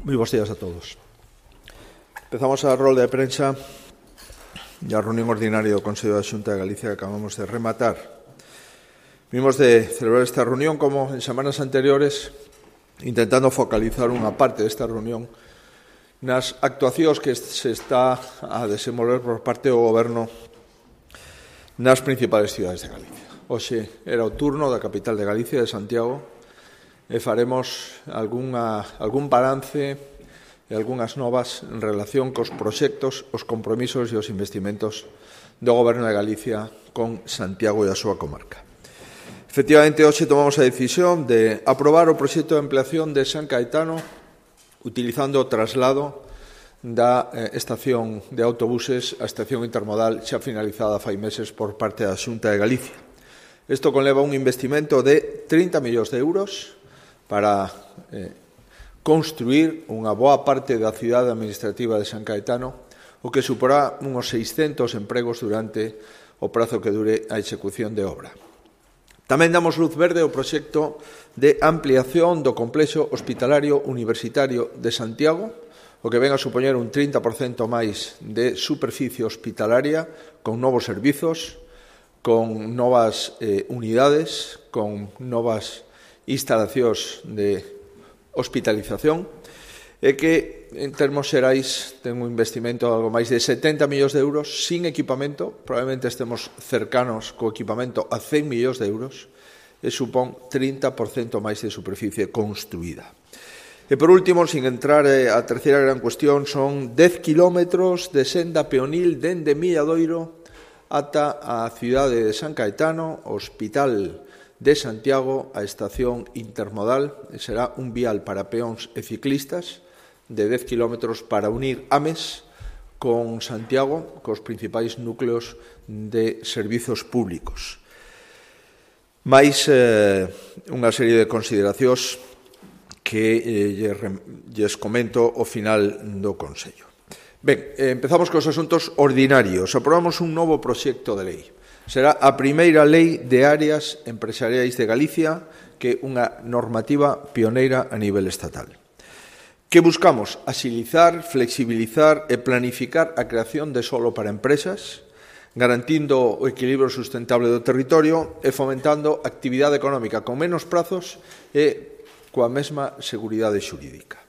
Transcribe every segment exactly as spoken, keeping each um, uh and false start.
Moi bons días a todos. Empezamos a rolda de prensa e a reunión ordinaria do Consello da Xunta de Galicia que acabamos de rematar. Vimos de celebrar esta reunión como en semanas anteriores, intentando focalizar unha parte desta reunión nas actuacións que se está a desenvolver por parte do Goberno nas principales cidades de Galicia. Hoxe era o turno da capital de Galicia, de Santiago, e faremos algunha, algún balance e algunhas novas en relación cos proxectos, os compromisos e os investimentos do Goberno de Galicia con Santiago e a súa comarca. Efectivamente, hoxe tomamos a decisión de aprobar o proxecto de ampliación de San Caetano utilizando o traslado da eh, estación de autobuses á estación intermodal xa finalizada fai meses por parte da Xunta de Galicia. Isto conleva un investimento de trinta millóns de euros para eh, construir unha boa parte da cidade administrativa de San Caetano, o que suporá uns seiscentos empregos durante o prazo que dure a execución de obra. Tamén damos luz verde ao proxecto de ampliación do complexo hospitalario universitario de Santiago, o que ven a supoñer un trinta por cento máis de superficie hospitalaria, con novos servizos, con novas eh, unidades, con novas instalacións de hospitalización, e que, en termos xerais, ten un investimento de algo máis de setenta millóns de euros sin equipamento, probablemente estemos cercanos co equipamento a cen millóns de euros, e supón trinta por cento máis de superficie construída. E, por último, sin entrar a terceira gran cuestión, son dez kilómetros de senda peonil dende Milladoiro ata a cidade de San Caetano, o Hospital de Santiago, a estación intermodal. Será un vial para peóns e ciclistas de dez kilómetros para unir Ames con Santiago, cos principais núcleos de servizos públicos. Mais eh, unha serie de consideracións que eh, lles comento ao final do Consello. Ben, eh, empezamos cos asuntos ordinarios. Aprobamos un novo proxecto de lei. Será a primeira lei de áreas empresariais de Galicia, que é unha normativa pioneira a nivel estatal. Que buscamos? Axilizar, flexibilizar e planificar a creación de solo para empresas, garantindo o equilibrio sustentable do territorio e fomentando actividade económica con menos prazos e coa mesma seguridade xurídica.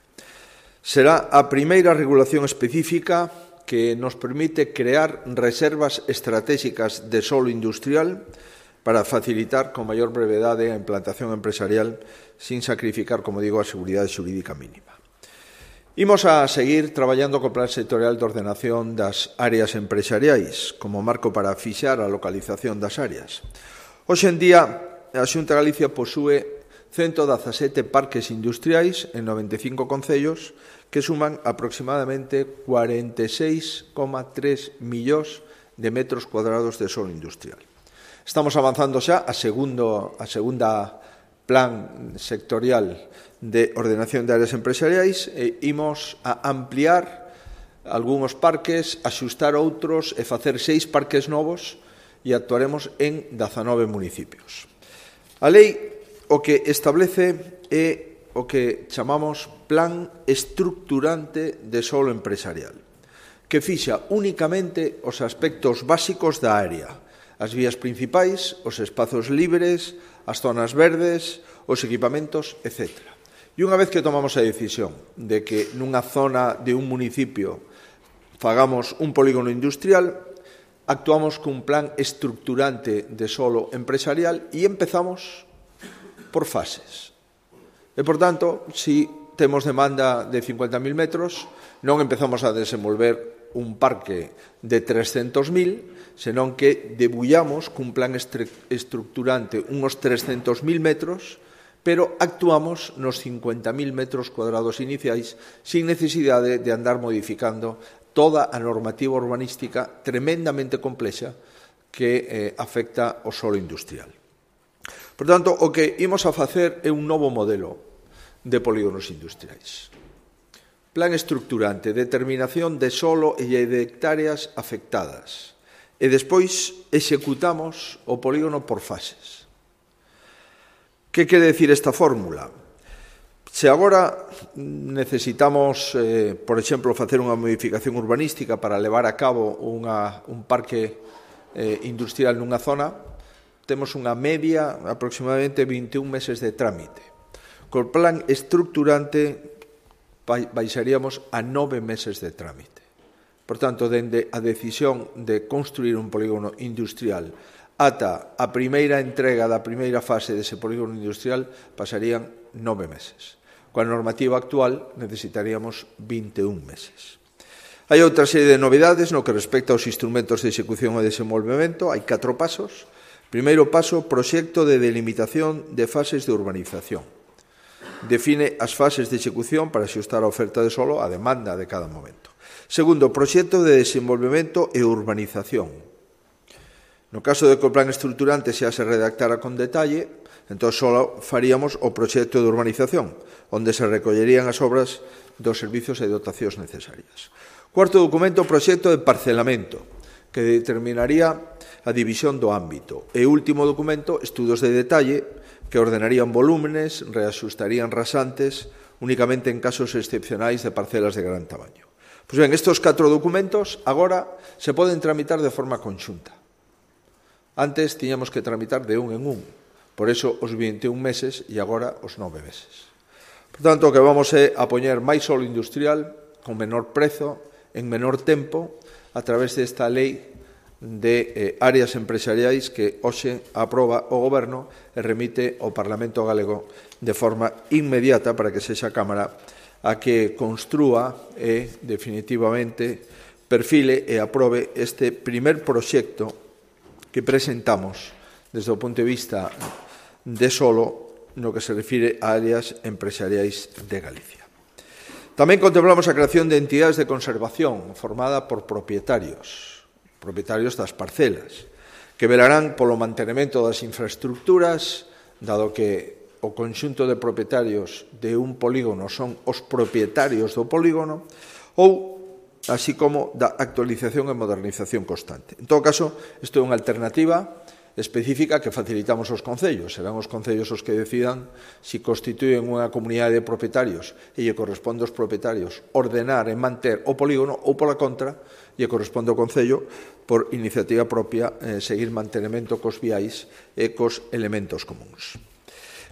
Será a primeira regulación específica que nos permite crear reservas estratégicas de solo industrial para facilitar con maior brevedade a implantación empresarial sin sacrificar, como digo, a seguridade xurídica mínima. Imos a seguir traballando co Plan Sectorial de Ordenación das Áreas Empresariais como marco para fixar a localización das áreas. Hoxe en día, a Xunta de Galicia posúe ciento dezasete parques industriais en noventa e cinco concellos que suman aproximadamente cuarenta e seis coma tres millóns de metros cuadrados de solo industrial. Estamos avanzando xa a, segundo, a segunda plan sectorial de ordenación de áreas empresariais e imos a ampliar algúns parques, axustar outros e facer seis parques novos e actuaremos en dezanove municipios. A lei o que establece é o que chamamos Plan Estructurante de Solo Empresarial, que fixa únicamente os aspectos básicos da área, as vías principais, os espazos libres, as zonas verdes, os equipamentos, etcétera. E unha vez que tomamos a decisión de que nunha zona de un municipio fagamos un polígono industrial, actuamos cun plan estructurante de solo empresarial e empezamos por fases. E, por tanto, se temos demanda de cincuenta mil metros, non empezamos a desenvolver un parque de trescentos mil, senón que debullamos cun plan estructurante uns trescentos mil metros, pero actuamos nos cincuenta mil metros cuadrados iniciais sin necesidade de andar modificando toda a normativa urbanística tremendamente complexa que eh, afecta ao solo industrial. Por tanto, o que imos a facer é un novo modelo de polígonos industriais. Plan estructurante, determinación de solo e de hectáreas afectadas. E despois executamos o polígono por fases. Que quere decir esta fórmula? Se agora necesitamos, eh, por exemplo, facer unha modificación urbanística para levar a cabo unha, un parque eh, industrial nunha zona, temos unha media aproximadamente vinte e un meses de trámite. Col plan estructurante baixaríamos a nove meses de trámite. Por tanto, dende a decisión de construir un polígono industrial ata a primeira entrega da primeira fase dese polígono industrial pasarían nove meses. Coa normativa actual necesitaríamos vinte e un meses. Hai outra serie de novidades no que respecta aos instrumentos de execución e desenvolvemento. Hai catro pasos. Primeiro paso, proxecto de delimitación de fases de urbanización. Define as fases de execución para xustar a oferta de solo á demanda de cada momento. Segundo, proxecto de desenvolvemento e urbanización. No caso de que o plan estruturante xa se redactara con detalle, entón só faríamos o proxecto de urbanización, onde se recollerían as obras dos servizos e dotacións necesarias. Cuarto documento, proxecto de parcelamento, que determinaría a división do ámbito. E último documento, estudos de detalle, que ordenarían volúmenes, reaxustarían rasantes, únicamente en casos excepcionais de parcelas de gran tamaño. Pois ben, estes catro documentos agora se poden tramitar de forma conxunta. Antes tiñamos que tramitar de un en un, por eso os vinte e un meses e agora os nove meses. Por tanto, o que vamos é a poñer máis solo industrial con menor prezo, en menor tempo, a través desta lei de eh, áreas empresariais que hoxe aproba o Goberno e remite ao Parlamento Galego de forma inmediata para que sexa a Cámara a que construa e, definitivamente, perfile e aprobe este primer proxecto que presentamos desde o punto de vista de solo no que se refire a áreas empresariais de Galicia. Tamén contemplamos a creación de entidades de conservación formada por propietarios, propietarios das parcelas, que velarán polo mantenimento das infraestructuras, dado que o conxunto de propietarios de un polígono son os propietarios do polígono, ou así como da actualización e modernización constante. En todo caso, isto é unha alternativa específica que facilitamos aos concellos. Serán os concellos os que decidan se constituyen unha comunidade de propietarios e lle corresponde aos propietarios ordenar e manter o polígono ou, pola contra, lle corresponde ao concello por iniciativa propia eh, seguir mantenimento cos viais e cos elementos comuns.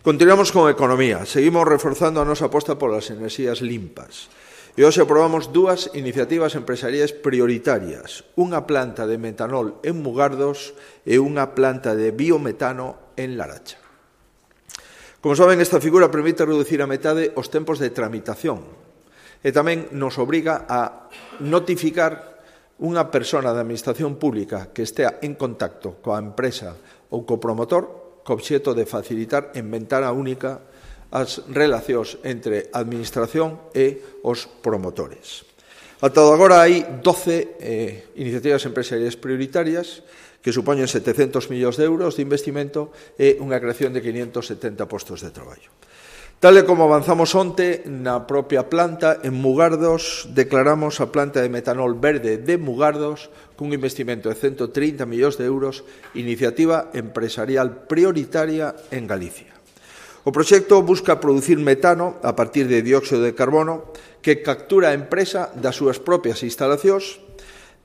Continuamos con economía. Seguimos reforzando a nosa aposta polas enerxías limpas. E hoxe aprobamos dúas iniciativas empresariais prioritarias, unha planta de metanol en Mugardos e unha planta de biometano en Laracha. Como saben, esta figura permite reducir a metade os tempos de tramitación e tamén nos obriga a notificar unha persona da Administración Pública que estea en contacto coa empresa ou co promotor co obxecto de facilitar en ventana única as relacións entre a Administración e os promotores. Ata agora hai doce eh, iniciativas empresariais prioritarias que supoñen setecentos millóns de euros de investimento e unha creación de quinientos setenta postos de traballo. Tal e como avanzamos onte na propia planta, en Mugardos declaramos a planta de metanol verde de Mugardos cun investimento de ciento trinta millóns de euros, iniciativa empresarial prioritaria en Galicia. O proxecto busca producir metano a partir de dióxido de carbono que captura a empresa das súas propias instalacións,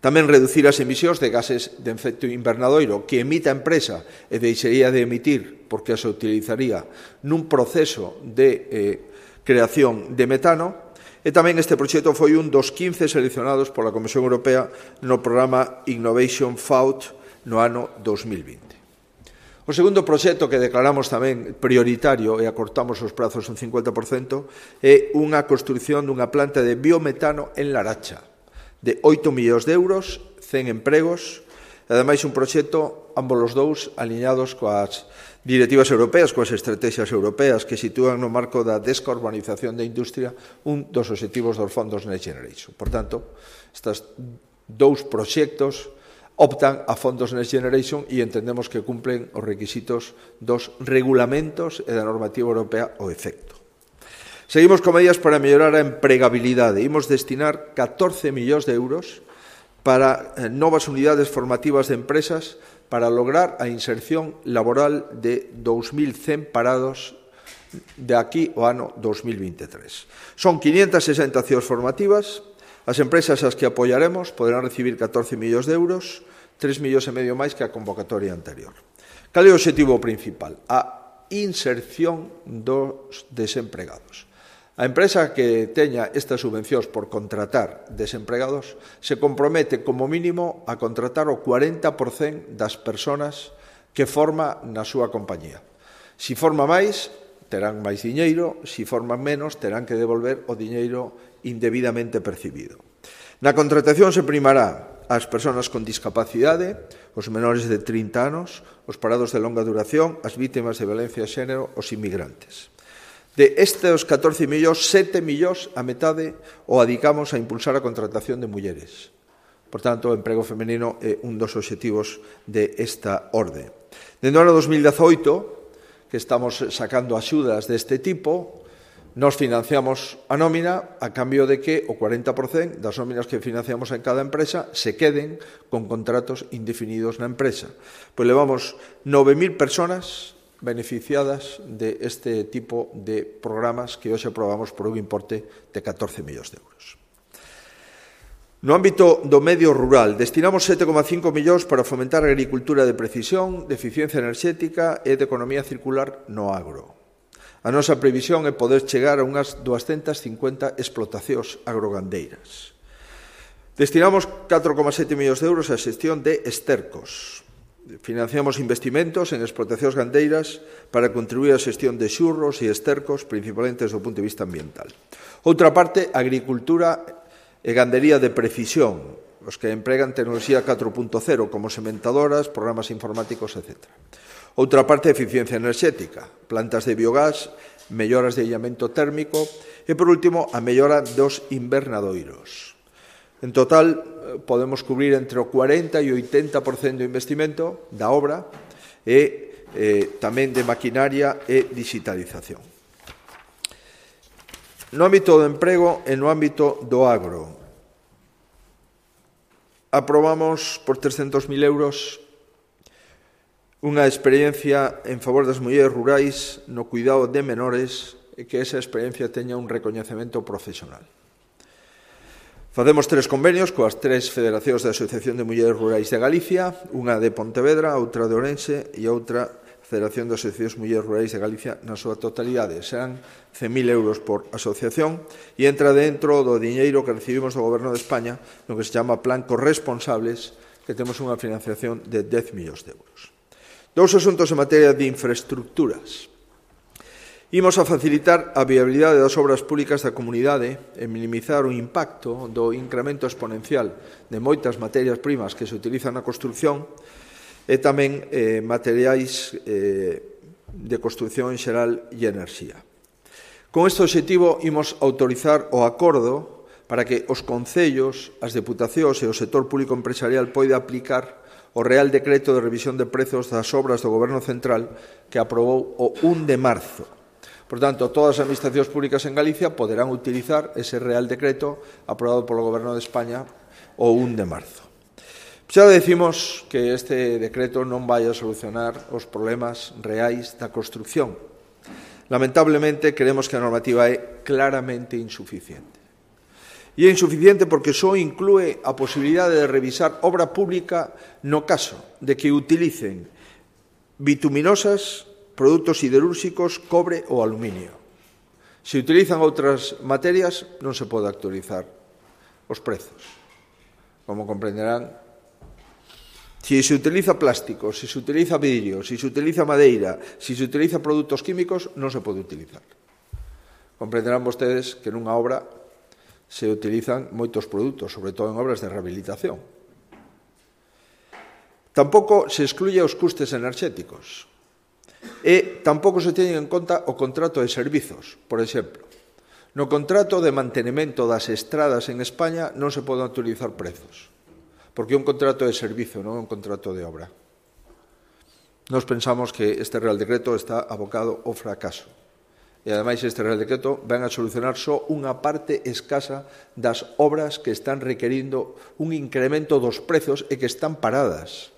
tamén reducir as emisións de gases de efecto invernadoiro que emite a empresa e deixaría de emitir porque as utilizaría nun proceso de eh, creación de metano, e tamén este proxecto foi un dos quince seleccionados pola Comisión Europea no programa Innovation Fund no ano dos mil vinte. O segundo proxecto que declaramos tamén prioritario e acortamos os prazos un cincuenta por cento é unha construción dunha planta de biometano en Laracha de oito millóns de euros, cen empregos, e ademais un proxecto, ambos os dous, aliñados coas directivas europeas, coas estrategias europeas que sitúan no marco da descarbonización da industria un dos obxectivos dos fondos Next Generation. Por tanto, estes dous proxectos optan a fondos Next Generation e entendemos que cumplen os requisitos dos regulamentos e da normativa europea ao efecto. Seguimos con medidas para mellorar a empregabilidade. Imos destinar catorce millóns de euros para novas unidades formativas de empresas para lograr a inserción laboral de dous mil cen parados de aquí ao ano dos mil veintitrés. Son quinientas sesenta accións formativas. As empresas ás que apoiaremos poderán recibir catorce millóns de euros, tres millóns e medio máis que a convocatoria anterior. Cal é o objetivo principal? A inserción dos desempregados. A empresa que teña estas subvencións por contratar desempregados se compromete como mínimo a contratar o cuarenta por cento das persoas que forma na súa compañía. Si forma máis, terán máis diñeiro, si forman menos, terán que devolver o diñeiro indebidamente percibido. Na contratación se primará as persoas con discapacidade, os menores de trinta anos, os parados de longa duración, as vítimas de violencia de xénero, os inmigrantes. De estes catorce millóns, sete millóns, a metade, o adicamos a impulsar a contratación de mulleres. Por tanto, o emprego femenino é un dos obxectivos de esta orde. Dende o ano dos mil dezoito, que estamos sacando axudas deste tipo, nos financiamos a nómina a cambio de que o cuarenta por cento das nóminas que financiamos en cada empresa se queden con contratos indefinidos na empresa. Pois levamos nove mil persoas beneficiadas de este tipo de programas que hoxe aprobamos por un importe de catorce millóns de euros. No ámbito do medio rural, destinamos sete coma cinco millóns para fomentar a agricultura de precisión, de eficiencia enerxética e de economía circular no agro. A nosa previsión é poder chegar a unhas doscientas cincuenta explotacións agrogandeiras. Destinamos catro coma sete millóns de euros á xestión de estercos. Financiamos investimentos en explotacións gandeiras para contribuir á xestión de xurros e estercos, principalmente desde o punto de vista ambiental. Outra parte, agricultura e gandería de precisión, os que empregan tecnoloxía catro punto cero, como sementadoras, programas informáticos, etcétera. Outra parte, eficiencia enerxética, plantas de biogás, melloras de illamento térmico e, por último, a mellora dos invernadoiros. En total, podemos cubrir entre o cuarenta e o oitenta por cento do investimento da obra e eh, tamén de maquinaria e digitalización. No ámbito do emprego e no ámbito do agro, aprobamos por trescentos mil euros unha experiencia en favor das mulleres rurais no cuidado de menores e que esa experiencia teña un recoñecemento profesional. Facemos tres convenios coas tres federacións da Asociación de Mulleres Rurais de Galicia, unha de Pontevedra, outra de Ourense e outra Federación de Asociacións Mulleres Rurais de Galicia na súa totalidade. Serán cen mil euros por asociación e entra dentro do diñeiro que recibimos do Goberno de España no que se chama Plan Corresponsables, que temos unha financiación de dez millóns de euros. Dous asuntos en materia de infraestructuras. Imos a facilitar a viabilidade das obras públicas da comunidade e minimizar o impacto do incremento exponencial de moitas materias primas que se utilizan na construción e tamén eh, materiais eh, de construción en xeral e enerxía. Con este objetivo, imos autorizar o acordo para que os concellos, as deputacións e o sector público empresarial poida aplicar o Real Decreto de Revisión de Prezos das Obras do Goberno Central que aprobou o un de marzo. Por tanto, todas as administracións públicas en Galicia poderán utilizar ese Real Decreto aprobado polo Goberno de España o un de marzo. Xa decimos que este decreto non vai a solucionar os problemas reais da construción. Lamentablemente, creemos que a normativa é claramente insuficiente. E é insuficiente porque só inclúe a posibilidade de revisar obra pública no caso de que utilicen bituminosas, produtos siderúrxicos, cobre ou aluminio. Se utilizan outras materias, non se pode actualizar os prezos. Como comprenderán, se se utiliza plástico, se se utiliza vidrio, se se utiliza madeira, se se utiliza produtos químicos, non se pode utilizar. Comprenderán vostedes que nunha obra se utilizan moitos produtos, sobre todo en obras de rehabilitación. Tampouco se excluye os custes enerxéticos e tampouco se teñen en conta o contrato de servizos. Por exemplo, no contrato de mantenimento das estradas en España non se poden utilizar prezos, porque é un contrato de servizo, non é un contrato de obra. Nos pensamos que este Real Decreto está abocado ao fracaso. E, ademais, este Real Decreto ven a solucionar só unha parte escasa das obras que están requerindo un incremento dos prezos e que están paradas.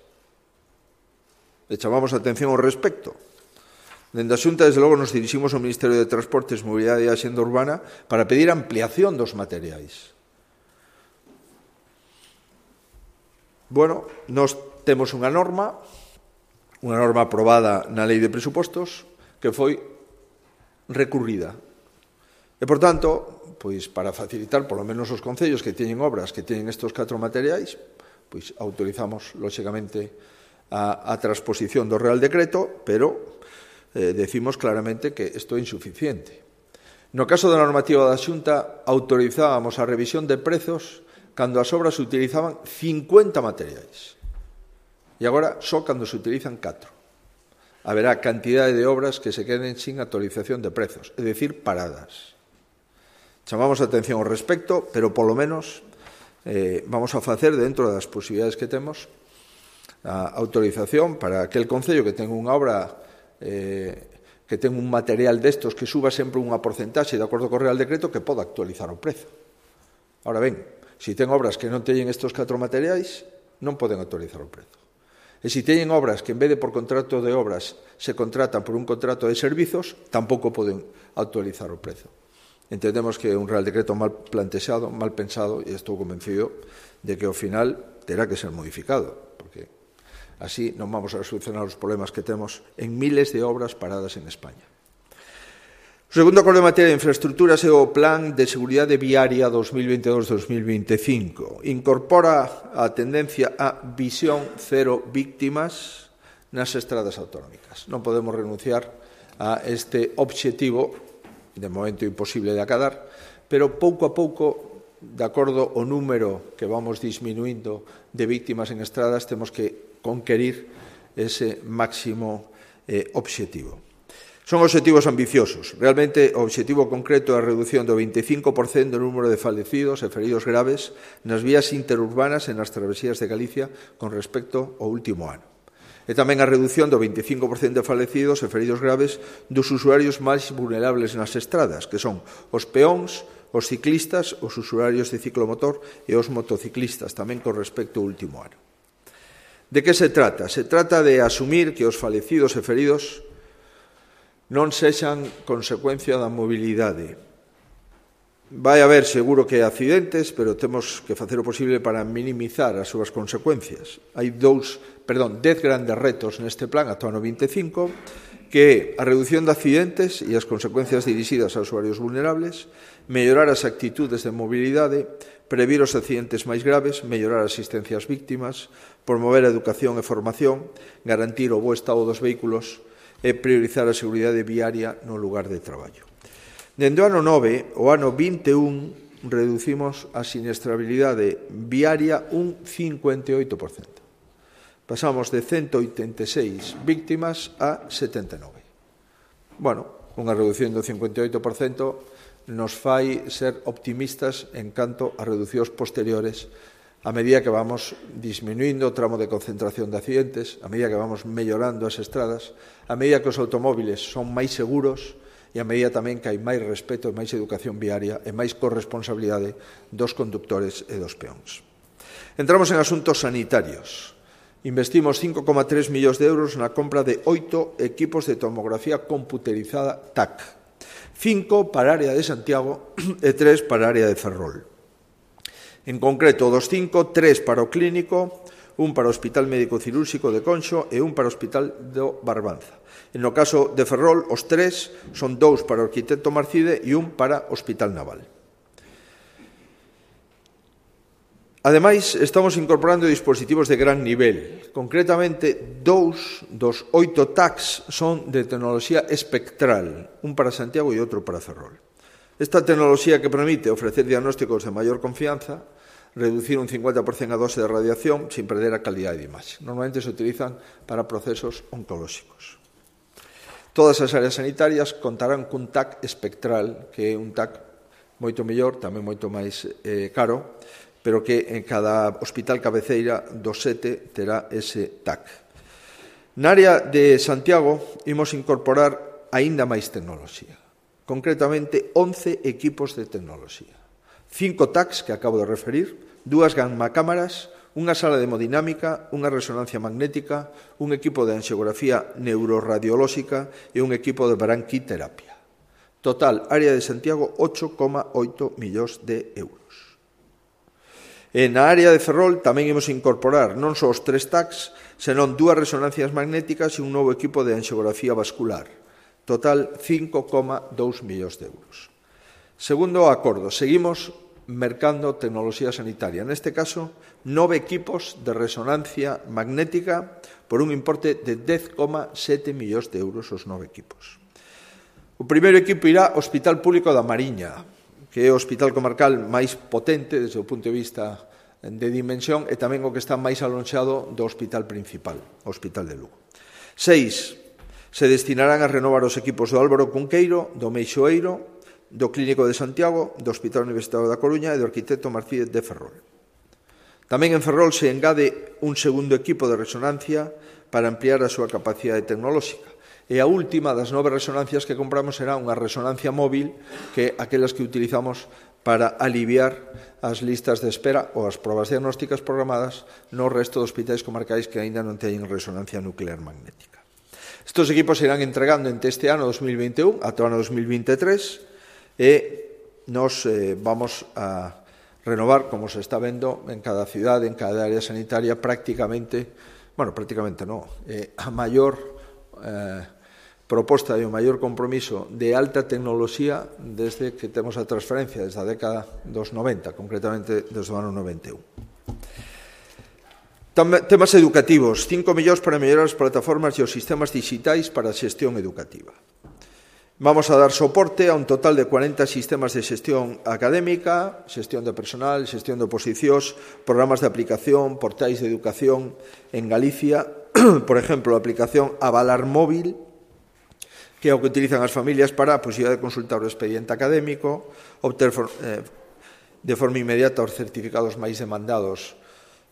E chamamos a atención ao respecto. Dende a Xunta, desde logo, nos diriximos ao Ministerio de Transportes, Mobilidade e Axenda Urbana para pedir ampliación dos materiais. Bueno, nós temos unha norma, unha norma aprobada na Lei de Presupostos, que foi recurrida. E, por tanto, pois, para facilitar, polo menos os concellos que teñen obras que teñen estes catro materiais, pois autorizamos, lóxicamente, a, a transposición do Real Decreto, pero eh, decimos claramente que isto é insuficiente. No caso da normativa da Xunta, autorizábamos a revisión de prezos cando as obras utilizaban cincuenta materiais. E agora só cando se utilizan catro. Haberá cantidade de obras que se queden sin actualización de prezos, é dicir, paradas. Chamamos a atención ao respecto, pero polo menos eh, vamos a facer dentro das posibilidades que temos a autorización para aquel concello que ten unha obra eh, que ten un material destos que suba sempre unha porcentaxe de acordo co Real Decreto que poda actualizar o prezo. Ahora ben, se ten obras que non teñen estes catro materiais, non poden actualizar o prezo. E se teñen obras que en vez de por contrato de obras se contratan por un contrato de servizos, tampouco poden actualizar o prezo. Entendemos que é un Real Decreto mal plantexado, mal pensado, e estou convencido de que ao final terá que ser modificado, porque así non vamos a solucionar os problemas que temos en miles de obras paradas en España. O segundo acordo en materia de infraestructuras é o Plan de Seguridade Viaria dos mil veintidós a dos mil veinticinco. Incorpora a tendencia a visión cero víctimas nas estradas autonómicas. Non podemos renunciar a este obxectivo, de momento imposible de acadar, pero pouco a pouco, de acordo ao número que vamos disminuindo de víctimas en estradas, temos que conquerir ese máximo eh, obxectivo. Son obxectivos ambiciosos. Realmente, o obxectivo concreto é a reducción do veinticinco por cento do número de falecidos e feridos graves nas vías interurbanas e nas travesías de Galicia con respecto ao último ano. E tamén a reducción do veinticinco por cento de falecidos e feridos graves dos usuarios máis vulnerables nas estradas, que son os peóns, os ciclistas, os usuarios de ciclomotor e os motociclistas, tamén con respecto ao último ano. De que se trata? Se trata de asumir que os falecidos e feridos non sexan consecuencia da mobilidade. Vai haber seguro que accidentes, pero temos que facer o posible para minimizar as súas consecuencias. Hai dous, perdón, dez grandes retos neste plan ata o ano vinte e cinco, que é a reducción de accidentes e as consecuencias dirixidas aos usuarios vulnerables, mellorar as actitudes de mobilidade, previr os accidentes máis graves, mellorar a asistencia ás víctimas, promover a educación e formación, garantir o bo estado dos vehículos e priorizar a seguridade viaria no lugar de traballo. Dende o ano nove, o ano vinte e un, reducimos a siniestrabilidade viaria un cincuenta e oito por cento. Pasamos de ciento oitenta e seis víctimas a setenta e nove. Bueno, unha reducción do cincuenta e oito por cento nos fai ser optimistas en canto a reducións posteriores a medida que vamos disminuindo o tramo de concentración de accidentes, a medida que vamos mellorando as estradas, a medida que os automóviles son máis seguros e a medida tamén que hai máis respeto e máis educación viaria e máis corresponsabilidade dos conductores e dos peóns. Entramos en asuntos sanitarios. Investimos cinco coma tres millóns de euros na compra de oito equipos de tomografía computerizada T A C, cinco para a área de Santiago e tres para a área de Ferrol. En concreto, dos cinco, tres para o clínico, un para o Hospital Médico Cirúrxico de Conxo e un para o Hospital do Barbanza. E no caso de Ferrol, os tres son dous para o Arquitecto Marcide e un para o Hospital Naval. Ademais, estamos incorporando dispositivos de gran nivel. Concretamente, dous dos oito T A Cs son de tecnoloxía espectral, un para Santiago e outro para Ferrol. Esta tecnoloxía que permite ofrecer diagnósticos de maior confianza, reducir un cincuenta por cento a dose de radiación sin perder a calidade de imaxe. Normalmente se utilizan para procesos oncolóxicos. Todas as áreas sanitarias contarán cun T A C espectral, que é un T A C moito mellor, tamén moito máis eh, caro, pero que en cada hospital cabeceira do sete terá ese T A C. Na área de Santiago imos incorporar aínda máis tecnoloxía. Concretamente, once equipos de tecnoloxía. Cinco T A Cs que acabo de referir, dúas gamma cámaras, unha sala de hemodinámica, unha resonancia magnética, un equipo de anxiografía neuroradiolóxica e un equipo de branquiterapia. Total, área de Santiago, ocho coma oito millóns de euros. E na área de Ferrol tamén imos incorporar non só os tres tacs, senón dúas resonancias magnéticas e un novo equipo de anxiografía vascular. Total, cinco coma dous millóns de euros. Segundo acordo, seguimos mercando tecnoloxía sanitaria. Neste caso, nove equipos de resonancia magnética por un importe de dez coma sete millóns de euros os nove equipos. O primeiro equipo irá ao Hospital Público da Mariña, que é o hospital comarcal máis potente desde o punto de vista de dimensión e tamén o que está máis alonxado do hospital principal, o Hospital de Lugo. Seis, se destinarán a renovar os equipos do Álvaro Cunqueiro, do Meixoeiro, do Clínico de Santiago, do Hospital Universitario da Coruña e do Arquitecto Martínez de Ferrol. Tamén en Ferrol se engade un segundo equipo de resonancia para ampliar a súa capacidade tecnolóxica. E a última das nove resonancias que compramos será unha resonancia móvil, que é aquelas que utilizamos para aliviar as listas de espera ou as probas diagnósticas programadas no resto de hospitais comarcais que aínda non teñen resonancia nuclear magnética. Estos equipos se irán entregando entre este ano dos mil vinte e un ata o ano dos mil vinte e tres e nos eh, vamos a renovar, como se está vendo en cada cidade, en cada área sanitaria, prácticamente, bueno, prácticamente non, eh, a maior eh, proposta e o maior compromiso de alta tecnoloxía desde que temos a transferencia, desde a década dos noventa, concretamente desde o ano noventa e un. Temas educativos, cinco millóns para mellorar as plataformas e os sistemas digitais para a xestión educativa. Vamos a dar soporte a un total de cuarenta sistemas de xestión académica, xestión de personal, xestión de oposicións, programas de aplicación, portais de educación en Galicia, por exemplo, a aplicación Avalar Móvil, que é o que utilizan as familias para a posibilidad de consultar o expediente académico, obter eh, de forma inmediata os certificados máis demandados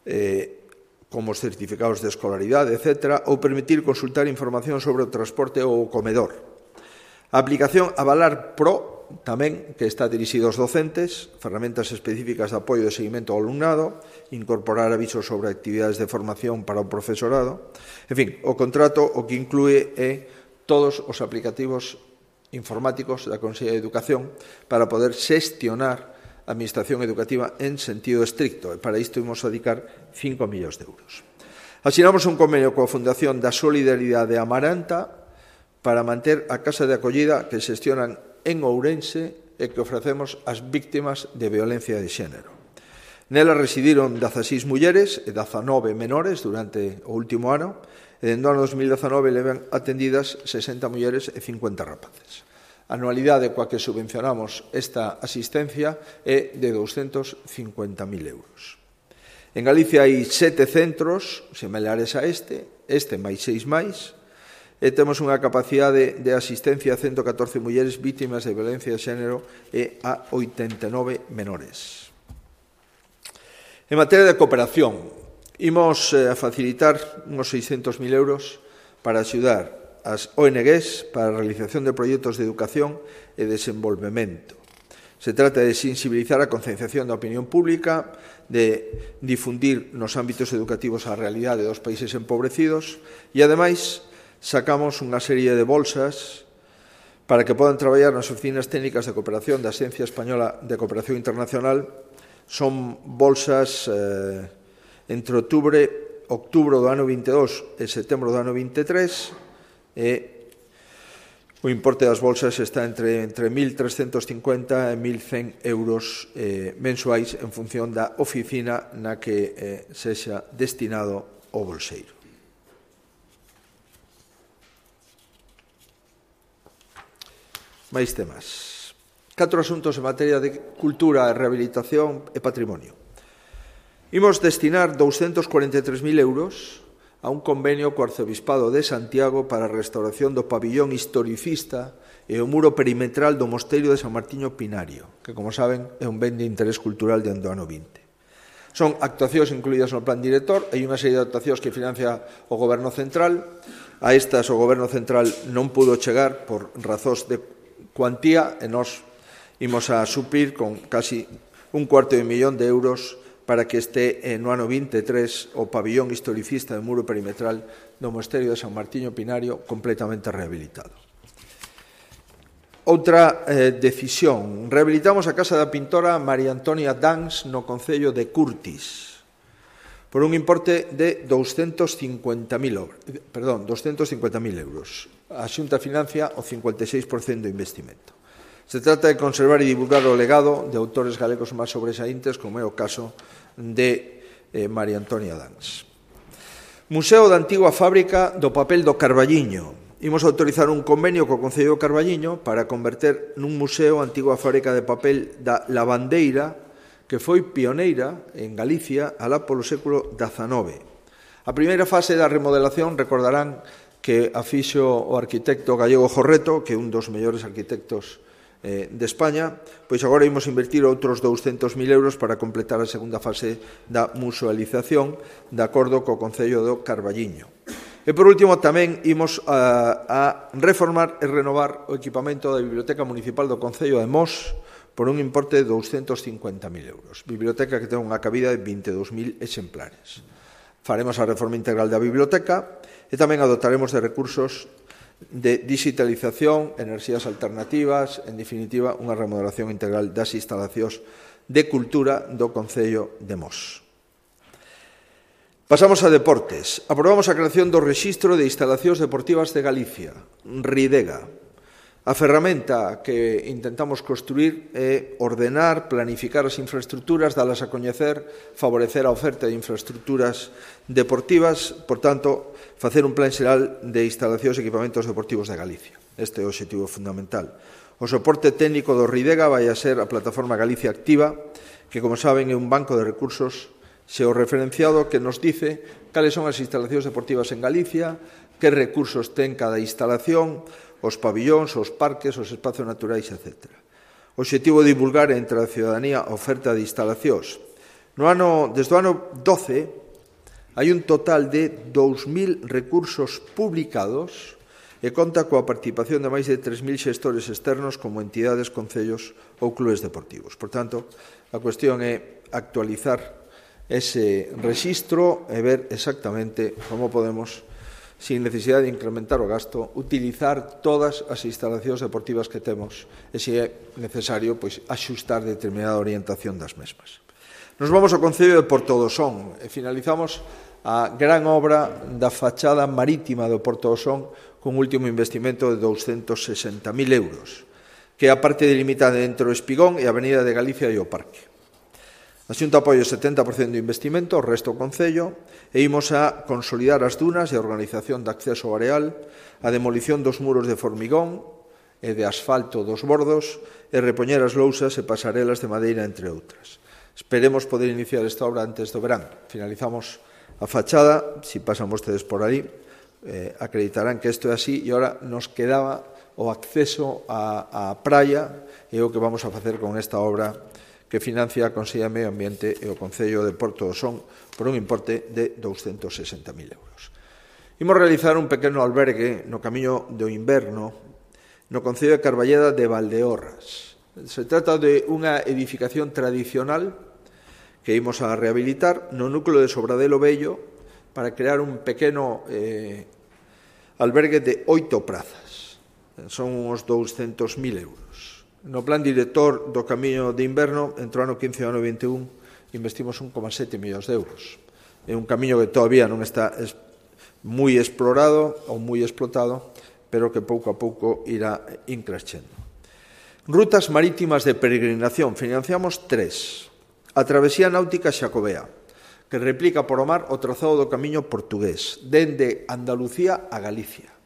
eh, como os certificados de escolaridade, etcétera, ou permitir consultar información sobre o transporte ou o comedor. A aplicación Avalar Pro, tamén, que está dirixido aos docentes, ferramentas específicas de apoio e seguimento ao alumnado, incorporar avisos sobre actividades de formación para o profesorado. En fin, o contrato o que inclúe é todos os aplicativos informáticos da Consellería de Educación para poder xestionar a administración educativa en sentido estricto. E para isto imos dedicar cinco millóns de euros. Asinamos un convenio coa Fundación da Solidaridade de Amaranta para manter a casa de acollida que xestionan en Ourense e que ofrecemos ás víctimas de violencia de xénero. Nela residiron dezaseis mulleres e dezanove menores durante o último ano, e dentro do ano dos mil dezanove levan atendidas sesenta mulleres e cincuenta rapaces. A anualidade coa que subvencionamos esta asistencia é de douscentos cincuenta mil euros. En Galicia hai sete centros similares a este, este máis seis máis, e temos unha capacidade de asistencia a ciento catorce mulleres vítimas de violencia de xénero e a oitenta e nove menores. En materia de cooperación, imos a facilitar uns seiscentos mil euros para axudar as O N Ges para a realización de proxectos de educación e desenvolvemento. Se trata de sensibilizar a concienciación da opinión pública, de difundir nos ámbitos educativos a realidade dos países empobrecidos e, ademais, sacamos unha serie de bolsas para que podan traballar nas oficinas técnicas de cooperación da Axencia Española de Cooperación Internacional. Son bolsas eh, entre outubro, outubro do ano vinte e dous e setembro do ano vinte e tres, e o importe das bolsas está entre, entre mil trescentos cincuenta e mil cen euros eh, mensuais en función da oficina na que eh, sexa destinado o bolseiro. Máis temas. Catro asuntos en materia de cultura, rehabilitación e patrimonio. Imos destinar douscentos cuarenta e tres mil euros a un convenio co Arcebispado de Santiago para a restauración do pabillón historicista e o muro perimetral do Mosteiro de San Martiño Pinario, que, como saben, é un ben de interés cultural de ano vinte. Son actuacións incluídas no plan director, hai unha serie de actuacións que financia o Goberno Central. A estas o Goberno Central non pudo chegar por razóns de cuantía e nós imos a suplir con casi un cuarto de millón de euros para que este no ano vinte e tres o pabillón historicista de muro perimetral do Mosterio de San Martiño Pinario completamente rehabilitado. Outra eh, decisión. Rehabilitamos a casa da pintora María Antonia Dans no concello de Curtis por un importe de doscientos cincuenta mil euros. A Xunta financia o cincuenta e seis por cento do investimento. Se trata de conservar e divulgar o legado de autores galegos máis sobresaíntes, como é o caso de eh, María Antonia Dans. Museo da antiga fábrica do papel do Carballiño. Imos autorizar un convenio co Concello do Carballiño para converter nun museo a antiga fábrica de papel da Lavandeira, que foi pioneira en Galicia alá polo século dezanove. A primeira fase da remodelación, recordarán que a fixo o arquitecto gallego Jorreto, que é un dos mellores arquitectos eh, de España, pois agora imos invertir outros douscentos mil euros para completar a segunda fase da musealización de acordo co Concello do Carballiño. E, por último, tamén imos a, a reformar e renovar o equipamento da Biblioteca Municipal do Concello de Mos por un importe de douscentos cincuenta mil euros. Biblioteca que ten unha cabida de vinte e dous mil exemplares. Faremos a reforma integral da biblioteca e tamén adotaremos de recursos de digitalización, enerxías alternativas, en definitiva, unha remodelación integral das instalacións de cultura do Concello de Mos. Pasamos a deportes. Aprobamos a creación do Rexistro de Instalacións Deportivas de Galicia, RIDEGA. A ferramenta que intentamos construir é ordenar, planificar as infraestructuras, dalas a coñecer, favorecer a oferta de infraestructuras deportivas, por tanto, facer un plan xeral de instalacións e equipamentos deportivos de Galicia. Este é o obxectivo fundamental. O soporte técnico do RIDEGA vai a ser a plataforma Galicia Activa, que, como saben, é un banco de recursos xeorreferenciado que nos dice cales son as instalacións deportivas en Galicia, que recursos ten cada instalación, os pabillóns, os parques, os espacios naturais, etcétera. O obxectivo de divulgar entre a ciudadanía a oferta de instalacións. No ano, desde o ano doce, hai un total de dous mil recursos publicados e conta coa participación de máis de tres mil xestores externos como entidades, concellos ou clubes deportivos. Por tanto, a cuestión é actualizar ese rexistro e ver exactamente como podemos, sin necesidade de incrementar o gasto, utilizar todas as instalacións deportivas que temos e, se é necesario, pois, axustar determinada orientación das mesmas. Nos vamos ao Concello de Portodosón e finalizamos a gran obra da fachada marítima do Portodosón con un último investimento de douscentos sesenta mil euros, que é a parte delimitada entre o Espigón e a Avenida de Galicia e o Parque. A Xunta apoia o setenta por cento do investimento, o resto o Concello, e imos a consolidar as dunas e a organización de acceso ao areal, a demolición dos muros de formigón e de asfalto dos bordos e repoñer as lousas e pasarelas de madeira, entre outras. Esperemos poder iniciar esta obra antes do verán. Finalizamos a fachada, se pasan vostedes por aí, eh, acreditarán que isto é así, e agora nos quedaba o acceso á praia, e o que vamos a facer con esta obra que financia a Consellería de Medio Ambiente e o Concello de Portodosón por un importe de douscentos sesenta mil euros. Imos realizar un pequeno albergue no camiño do inverno no Concello de Carballeda de Valdeorras. Se trata de unha edificación tradicional que imos a rehabilitar no núcleo de Sobradelo Vello para crear un pequeno eh, albergue de oito prazas. Son uns douscentos mil euros. No plan director do camiño de inverno, entre o ano quince e o ano vinte e un, investimos un coma sete millóns de euros. É un camiño que todavía non está moi explorado ou moi explotado, pero que pouco a pouco irá increchendo. Rutas marítimas de peregrinación. Financiamos tres. A travesía náutica Xacobea, que replica por o mar o trazado do camiño portugués, dende Andalucía a Galicia.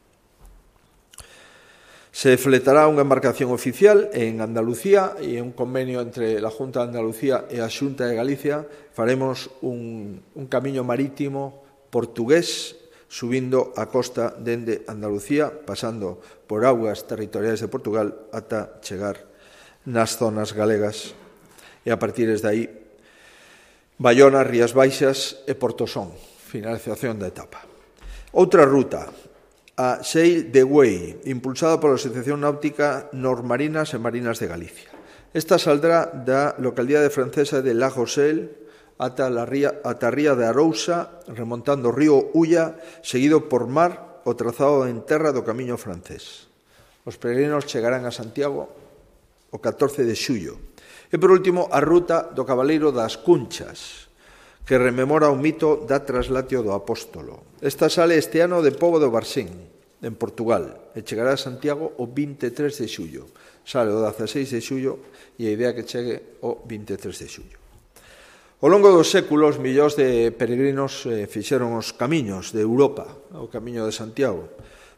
Se fletará unha embarcación oficial en Andalucía e un convenio entre a Junta de Andalucía e a Xunta de Galicia. Faremos un, un camiño marítimo portugués subindo a costa dende Andalucía, pasando por augas territoriais de Portugal ata chegar nas zonas galegas e a partir de aí Bayona, Rías Baixas e Portosón. Finalización da etapa. Outra ruta, a Sail the Way, impulsada pola Asociación Náutica Normarinas e Marinas de Galicia. Esta saldrá da localidade francesa de La Rochelle ata a ría, ata a ría de Arousa, remontando o río Ulla, seguido por mar o trazado en terra do camiño francés. Os peregrinos chegarán a Santiago o catorce de xullo. E, por último, a ruta do Cabaleiro das Cunchas, que rememora o mito da traslatio do apóstolo. Esta sale este ano de Pobo do Barsín, en Portugal, e chegará a Santiago o vinte e tres de xullo. Sale o dezaseis de xullo e a idea que chegue o vinte e tres de xullo. Ao longo dos séculos, millóns de peregrinos eh, fixeron os camiños de Europa, o camiño de Santiago.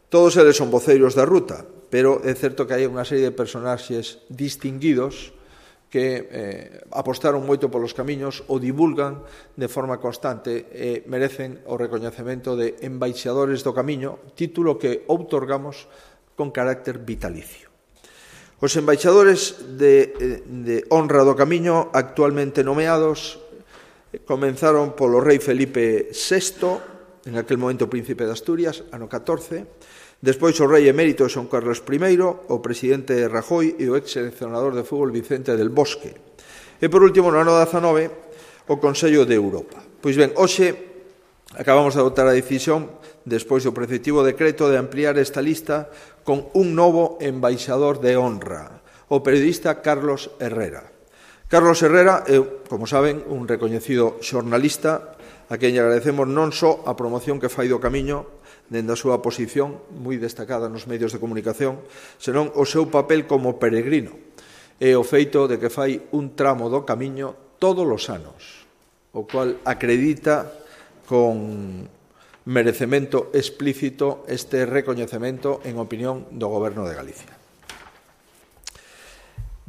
Todos eles son voceiros da ruta, pero é certo que hai unha serie de personaxes distinguidos que eh, apostaron moito polos camiños, o divulgan de forma constante e merecen o recoñecemento de embaixadores do camiño, título que outorgamos con carácter vitalicio. Os embaixadores de, de honra do camiño actualmente nomeados comenzaron polo rei Felipe sexto, en aquel momento príncipe de Asturias, ano catorce, despois o rei emérito Xon Carlos primeiro, o presidente Rajoy e o ex-seleccionador de fútbol Vicente del Bosque. E, por último, no ano dezanove, o Consello de Europa. Pois ben, hoxe acabamos de adoptar a decisión, despois do preceptivo decreto, de ampliar esta lista con un novo embaixador de honra, o periodista Carlos Herrera. Carlos Herrera é, como saben, un recoñecido xornalista a quen lle agradecemos non só a promoción que fai do camiño, dende a súa posición moi destacada nos medios de comunicación, senón o seu papel como peregrino e o feito de que fai un tramo do camiño todos os anos, o cual acredita con merecemento explícito este recoñecemento en opinión do Goberno de Galicia.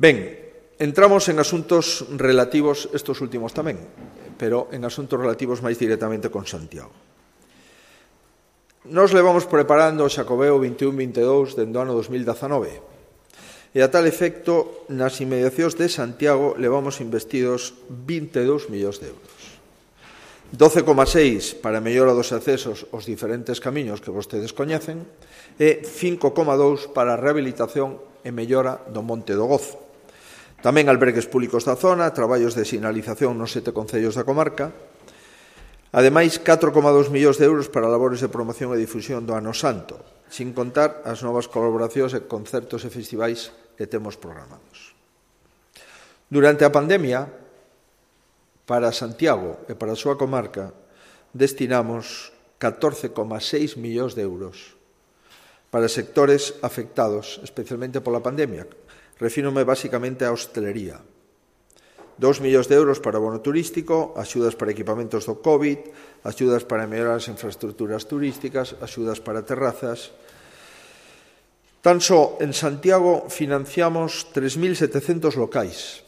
Ben, entramos en asuntos relativos, estos últimos tamén, pero en asuntos relativos máis directamente con Santiago. Nos levamos preparando o Xacobeo vinte e un vinte e dous dende o ano dos mil dezanove e a tal efecto nas inmediacións de Santiago levamos investidos vinte e dous millóns de euros. doce coma seis para a mellora dos accesos aos diferentes camiños que vostedes coñecen e cinco coma dous para a rehabilitación e mellora do Monte do Gozo. Tamén albergues públicos da zona, traballos de sinalización nos sete concellos da comarca. Ademais, catro coma dous millóns de euros para labores de promoción e difusión do Ano Santo, sin contar as novas colaboracións e concertos e festivais que temos programados. Durante a pandemia, para Santiago e para a súa comarca, destinamos catorce coma seis millóns de euros para sectores afectados, especialmente pola pandemia. Refírome basicamente á hostelería. Dos millóns de euros para o bono turístico, axudas para equipamentos do COVID, axudas para mellorar as infraestructuras turísticas, axudas para terrazas. Tan só en Santiago financiamos tres mil setecentos locais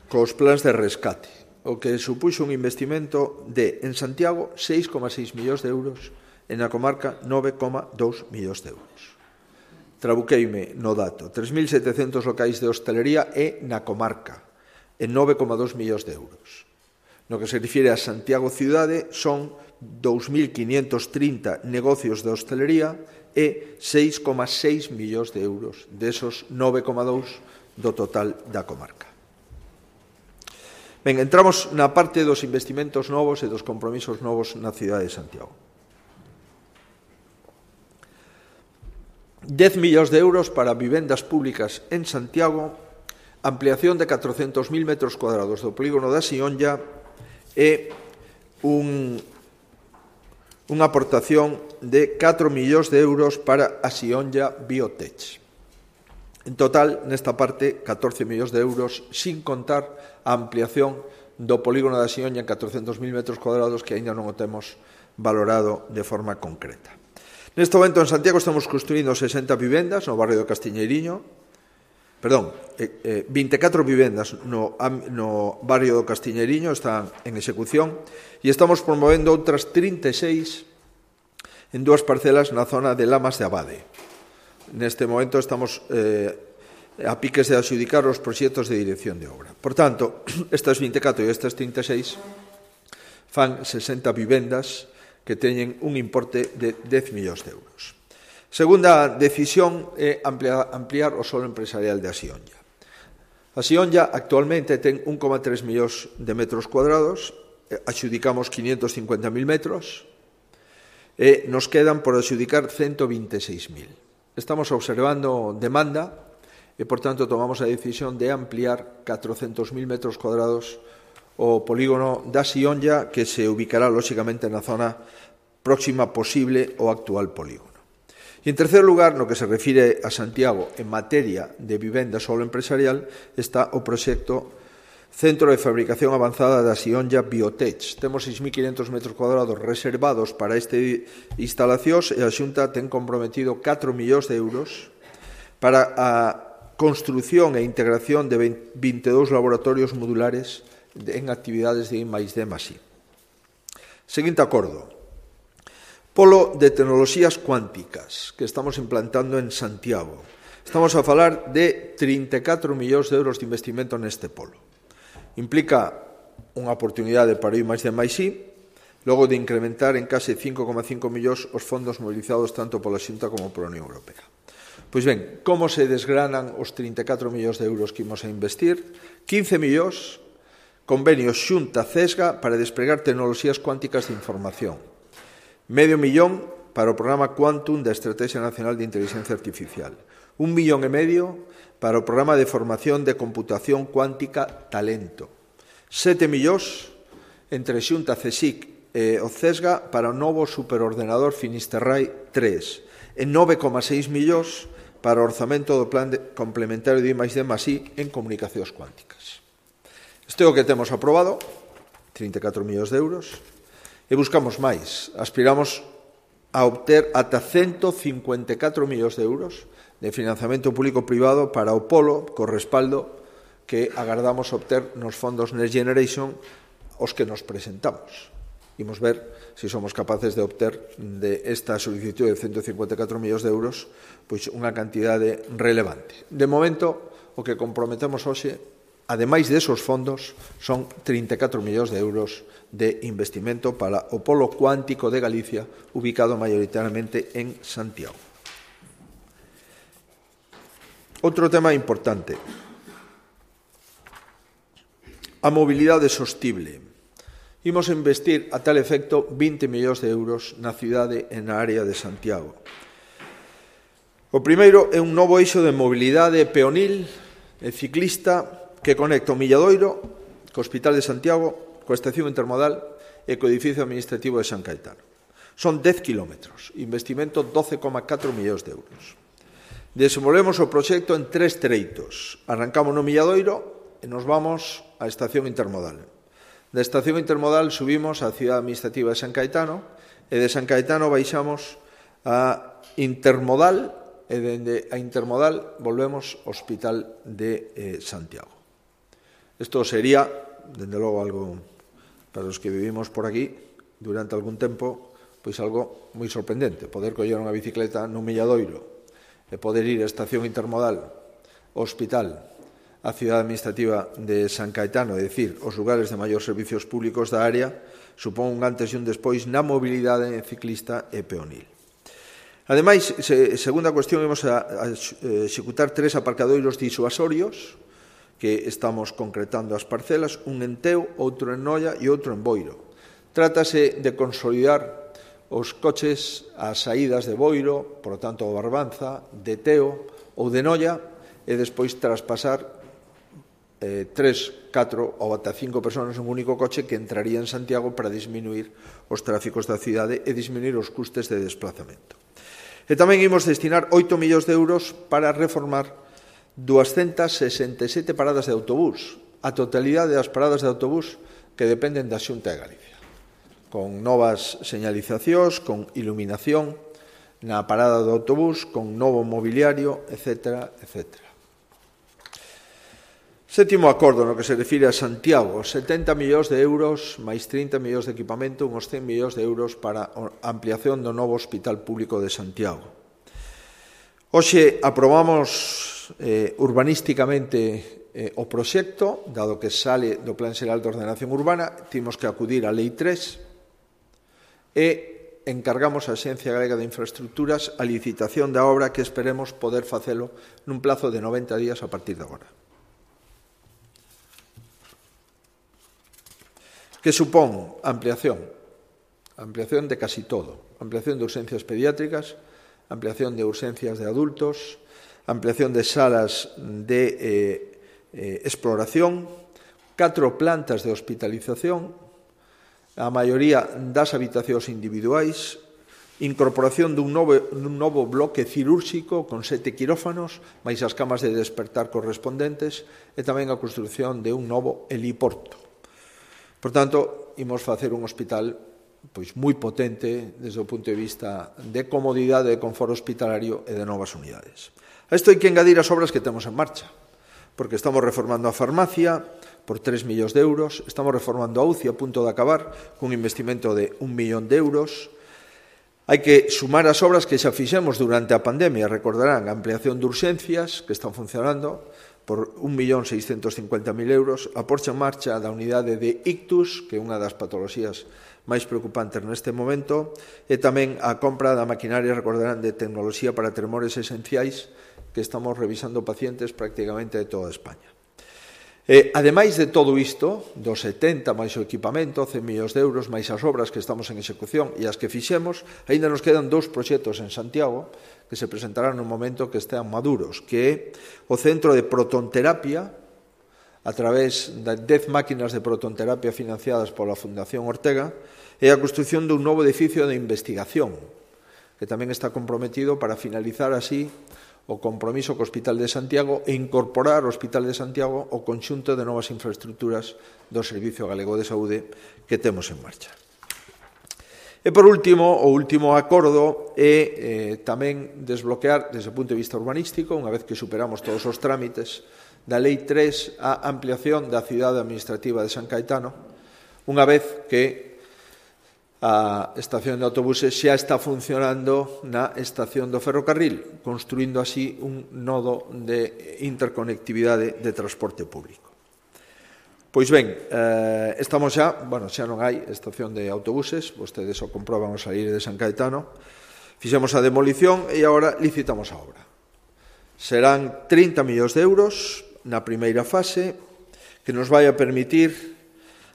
cos plans de rescate, o que supuxo un investimento de, en Santiago, seis coma seis millóns de euros, e na comarca nove coma dous millóns de euros. Trabuqueime no dato, tres mil setecentos locais de hostelería e na comarca, en nove coma dous millóns de euros. No que se refire a Santiago Cidade, son dous mil quinientos trinta negocios de hostelería e seis coma seis millóns de euros, desos nove coma dous do total da comarca. Ben, entramos na parte dos investimentos novos e dos compromisos novos na cidade de Santiago. dez millóns de euros para vivendas públicas en Santiago, ampliación de catrocentos mil metros cuadrados do polígono da Sionlla e un, unha aportación de catro millóns de euros para a Sionlla Biotech. En total, nesta parte, catorce millóns de euros, sin contar a ampliación do polígono da Sionlla en catrocentos mil metros cuadrados que aínda non o temos valorado de forma concreta. Neste momento en Santiago estamos construindo sesenta vivendas no barrio do Castiñeiriño, perdón, eh, eh, vinte e catro vivendas no, no barrio do Castiñeiriño están en execución e estamos promovendo outras trinta e seis en dúas parcelas na zona de Lamas de Abade. Neste momento estamos eh, a piques de adxudicar os proxectos de dirección de obra. Por tanto, estas vinte e catro e estas trinta e seis fan sesenta vivendas que teñen un importe de dez millóns de euros. Segunda decisión é ampliar, ampliar o solo empresarial de Asionlla. A Sionlla actualmente ten un coma tres millóns de metros cuadrados, adxudicamos quinientos cincuenta mil metros e nos quedan por adxudicar ciento veintiséis mil. Estamos observando demanda e, por tanto, tomamos a decisión de ampliar catrocentos mil metros cuadrados o polígono da Sionlla, que se ubicará, lóxicamente, na zona próxima posible ao actual polígono. E, en terceiro lugar, no que se refire a Santiago en materia de vivenda solo empresarial, está o proxecto Centro de Fabricación Avanzada da Sionlla Biotech. Temos seis mil quinhentos metros cuadrados reservados para este instalacións e a Xunta ten comprometido catro millóns de euros para a construción e integración de vinte e dous laboratorios modulares en actividades de I máis D máis I. Seguinte acordo. Polo de tecnoloxías cuánticas que estamos implantando en Santiago. Estamos a falar de trinta e catro millóns de euros de investimento neste polo. Implica unha oportunidade para I máis D máis I, logo de incrementar en case cinco coma cinco millóns os fondos mobilizados tanto pola Xunta como pola Unión Europea. Pois ben, como se desgranan os trinta e catro millóns de euros que imos a investir? quince millóns, convenios Xunta-Cesga para despregar tecnoloxías cuánticas de información. Medio millón para o programa Quantum da Estrategia Nacional de Inteligencia Artificial. Un millón e medio para o programa de formación de computación cuántica Talento. Sete millóns entre Xunta, CSIC e o Cesga para o novo superordenador Finisterrae tres. E nove coma seis millóns para o orzamento do plan de complementario de I máis D máis I en comunicacións cuánticas. Isto é o que temos aprobado, trinta e catro millóns de euros. E buscamos máis. Aspiramos a obter ata ciento cincuenta e catro millóns de euros de financiamento público-privado para o polo co respaldo que agardamos obter nos fondos Next Generation os que nos presentamos. Imos ver se somos capaces de obter de esta solicitud de ciento cincuenta e catro millóns de euros pois unha cantidade relevante. De momento, o que comprometemos hoxe, ademais desos fondos, son trinta e catro millóns de euros de investimento para o polo cuántico de Galicia, ubicado maioritariamente en Santiago. Outro tema importante, a mobilidade sostible. Imos a investir a tal efecto vinte millóns de euros na cidade e na área de Santiago. O primeiro é un novo eixo de mobilidade peonil e ciclista que conecta o Milladoiro co Hospital de Santiago, coa estación intermodal e co edificio administrativo de San Caetano. Son dez kilómetros, investimento doce coma catro millóns de euros. Desenvolvemos o proxecto en tres treitos. Arrancamos no Milladoiro e nos vamos á estación intermodal. Da estación intermodal subimos á cidade administrativa de San Caetano e de San Caetano baixamos a intermodal e dende a intermodal volvemos ao Hospital de eh, Santiago. Isto sería, dende logo, algo para os que vivimos por aquí durante algún tempo, pois algo moi sorprendente, poder coller unha bicicleta nun Milladoiro e poder ir á estación intermodal, ao hospital, á cidade administrativa de San Caetano, é dicir, os lugares de maior servicios públicos da área, supón un antes e un despois na mobilidade ciclista e peonil. Ademais, segunda cuestión, imos a executar tres aparcadoiros disuasorios que estamos concretando as parcelas, un en Teo, outro en Noia e outro en Boiro. Trátase de consolidar os coches ás saídas de Boiro, por lo tanto, o Barbanza, de Teo ou de Noia, e despois traspasar eh, tres, catro ou ata cinco personas en un único coche que entraría en Santiago para disminuir os tráficos da cidade e disminuir os custes de desplazamento. E tamén imos destinar oito millóns de euros para reformar doscientas sesenta e sete paradas de autobús, a totalidade das paradas de autobús que dependen da Xunta de Galicia, con novas señalizacións, con iluminación na parada do autobús, con novo mobiliario, etcétera, etcétera. Sétimo acordo no que se refire a Santiago, setenta millóns de euros máis trinta millóns de equipamento, uns cen millóns de euros para a ampliación do novo Hospital Público de Santiago. Hoxe aprobamos Eh, urbanísticamente eh, o proxecto, dado que sale do Plan Xeral de Ordenación Urbana, timos que acudir á Lei tres e encargamos a Axencia Galega de Infraestructuras a licitación da obra que esperemos poder facelo nun plazo de noventa días a partir de agora. que supón ampliación, ampliación de casi todo, ampliación de urgencias pediátricas, ampliación de urgencias de adultos, ampliación de salas de eh, eh, exploración, catro plantas de hospitalización, a maioría das habitacións individuais, incorporación dun novo, dun novo bloque cirúrxico con sete quirófanos, máis as camas de despertar correspondentes, e tamén a construción de un novo heliporto. Por tanto, imos facer un hospital pois moi potente desde o punto de vista de comodidade, de confort hospitalario e de novas unidades. A isto hai que engadir as obras que temos en marcha, porque estamos reformando a farmacia por tres millóns de euros, estamos reformando a U C I a punto de acabar cun investimento de un millón de euros. Hai que sumar as obras que xa fixemos durante a pandemia, recordarán, a ampliación de urxencias que están funcionando por un millón seiscentos cincuenta mil euros, a porcha en marcha da unidade de ictus, que é unha das patoloxías máis preocupantes neste momento, e tamén a compra da maquinaria, recordarán, de tecnoloxía para tremores esenciais, que estamos revisando pacientes prácticamente de toda España. E, ademais de todo isto, dos setenta máis o equipamento, cen millóns de euros, máis as obras que estamos en execución e as que fixemos, aínda nos quedan dous proxectos en Santiago que se presentarán no momento que estean maduros, que é o Centro de Protonterapia, a través de dez máquinas de protonterapia financiadas pola Fundación Ortega, e a construción dun novo edificio de investigación, que tamén está comprometido para finalizar así o compromiso co Hospital de Santiago e incorporar ao Hospital de Santiago o conxunto de novas infraestructuras do Servicio Galego de Saúde que temos en marcha. E, por último, o último acordo é eh, tamén desbloquear, desde o punto de vista urbanístico, unha vez que superamos todos os trámites da Lei tres, a ampliación da cidade administrativa de San Caetano, unha vez que a estación de autobuses xa está funcionando na estación do ferrocarril, construindo así un nodo de interconectividade de transporte público. Pois ben, eh, estamos xa, bueno, xa non hai estación de autobuses, vostedes o comproban ao salir de San Caetano, fixemos a demolición e agora licitamos a obra. Serán trinta millóns de euros na primeira fase, que nos vai a permitir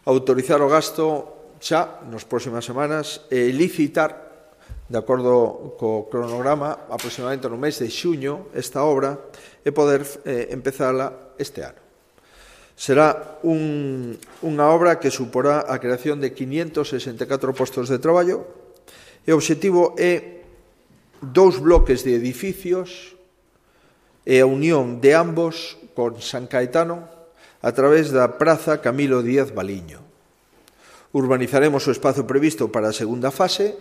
autorizar o gasto xa nas próximas semanas e licitar, de acordo co cronograma, aproximadamente no mes de xuño, esta obra e poder eh, empezala este ano. Será un, unha obra que suporá a creación de quinientos sesenta e catro postos de traballo e o obxectivo é dous bloques de edificios e a unión de ambos con San Caetano a través da Praza Camilo Díaz Baliño. Urbanizaremos o espazo previsto para a segunda fase,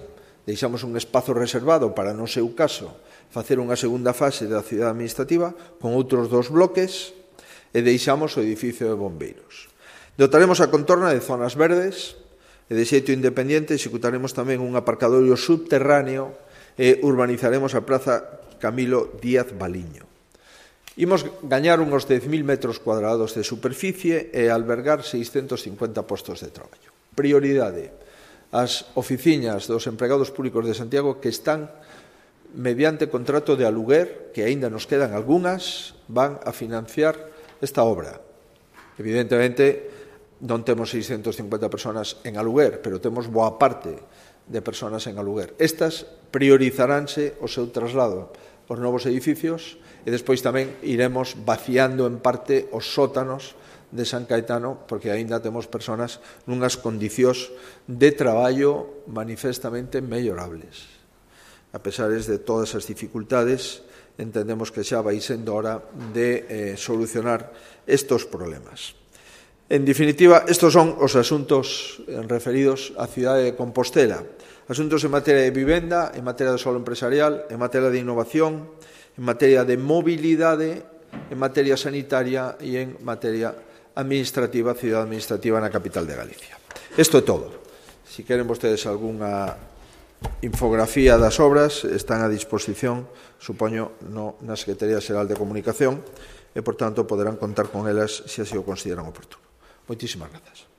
deixamos un espazo reservado para, no seu caso, facer unha segunda fase da cidade administrativa con outros dos bloques e deixamos o edificio de bombeiros. Dotaremos a contorna de zonas verdes e de xeito independente executaremos tamén un aparcadorio subterráneo e urbanizaremos a Praza Camilo Díaz Baliño. Imos gañar uns dez mil metros cuadrados de superficie e albergar seiscentos cincuenta postos de traballo. Prioridade, as oficinas dos empregados públicos de Santiago que están mediante contrato de aluguer, que aínda nos quedan algunhas, van a financiar esta obra. Evidentemente, non temos seiscentos cincuenta personas en aluguer, pero temos boa parte de personas en aluguer. Estas priorizaránse o seu traslado aos novos edificios e despois tamén iremos vaciando en parte os sótanos de San Caetano, porque aínda temos personas nunhas condicións de traballo manifestamente mellorables. A pesar de todas as dificultades, entendemos que xa vai sendo hora de eh, solucionar estos problemas. En definitiva, estos son os asuntos referidos á cidade de Compostela. Asuntos en materia de vivenda, en materia de solo empresarial, en materia de innovación, en materia de mobilidade, en materia sanitaria e en materia administrativa, cidade administrativa na capital de Galicia. Isto é todo. Si queren vostedes algunha infografía das obras, están a disposición, supoño, no, na Secretaría Xeral de Comunicación e, por tanto, poderán contar con elas se así o consideran oportuno. Moitísimas grazas.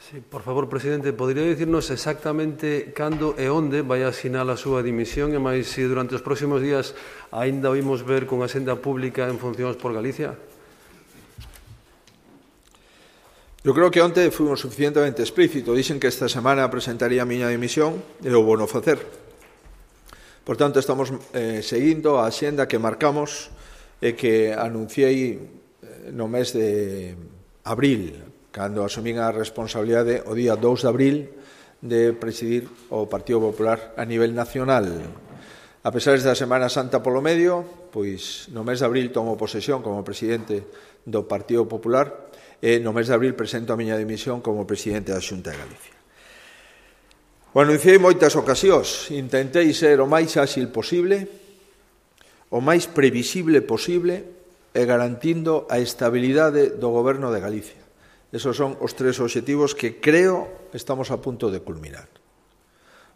Sí, por favor, presidente, podería dicirnos exactamente cando e onde vai asinar a súa dimisión e máis se durante os próximos días aínda oímos ver con a senda pública en funcións por Galicia? Eu creo que onte fomos suficientemente explícito. Dixen que esta semana presentaría a miña dimisión e o vou non facer. Por tanto, estamos eh, seguindo a axenda que marcamos e que anunciei no mes de abril, cando asumín a responsabilidade o día dous de abril de presidir o Partido Popular a nivel nacional. A pesar da Semana Santa polo medio, pois no mes de abril tomo posesión como presidente do Partido Popular e no mes de abril presento a miña dimisión como presidente da Xunta de Galicia. O anunciei moitas ocasións, intentei ser o máis áxil posible, o máis previsible posible e garantindo a estabilidade do Goberno de Galicia. Esos son os tres obxectivos que creo estamos a punto de culminar.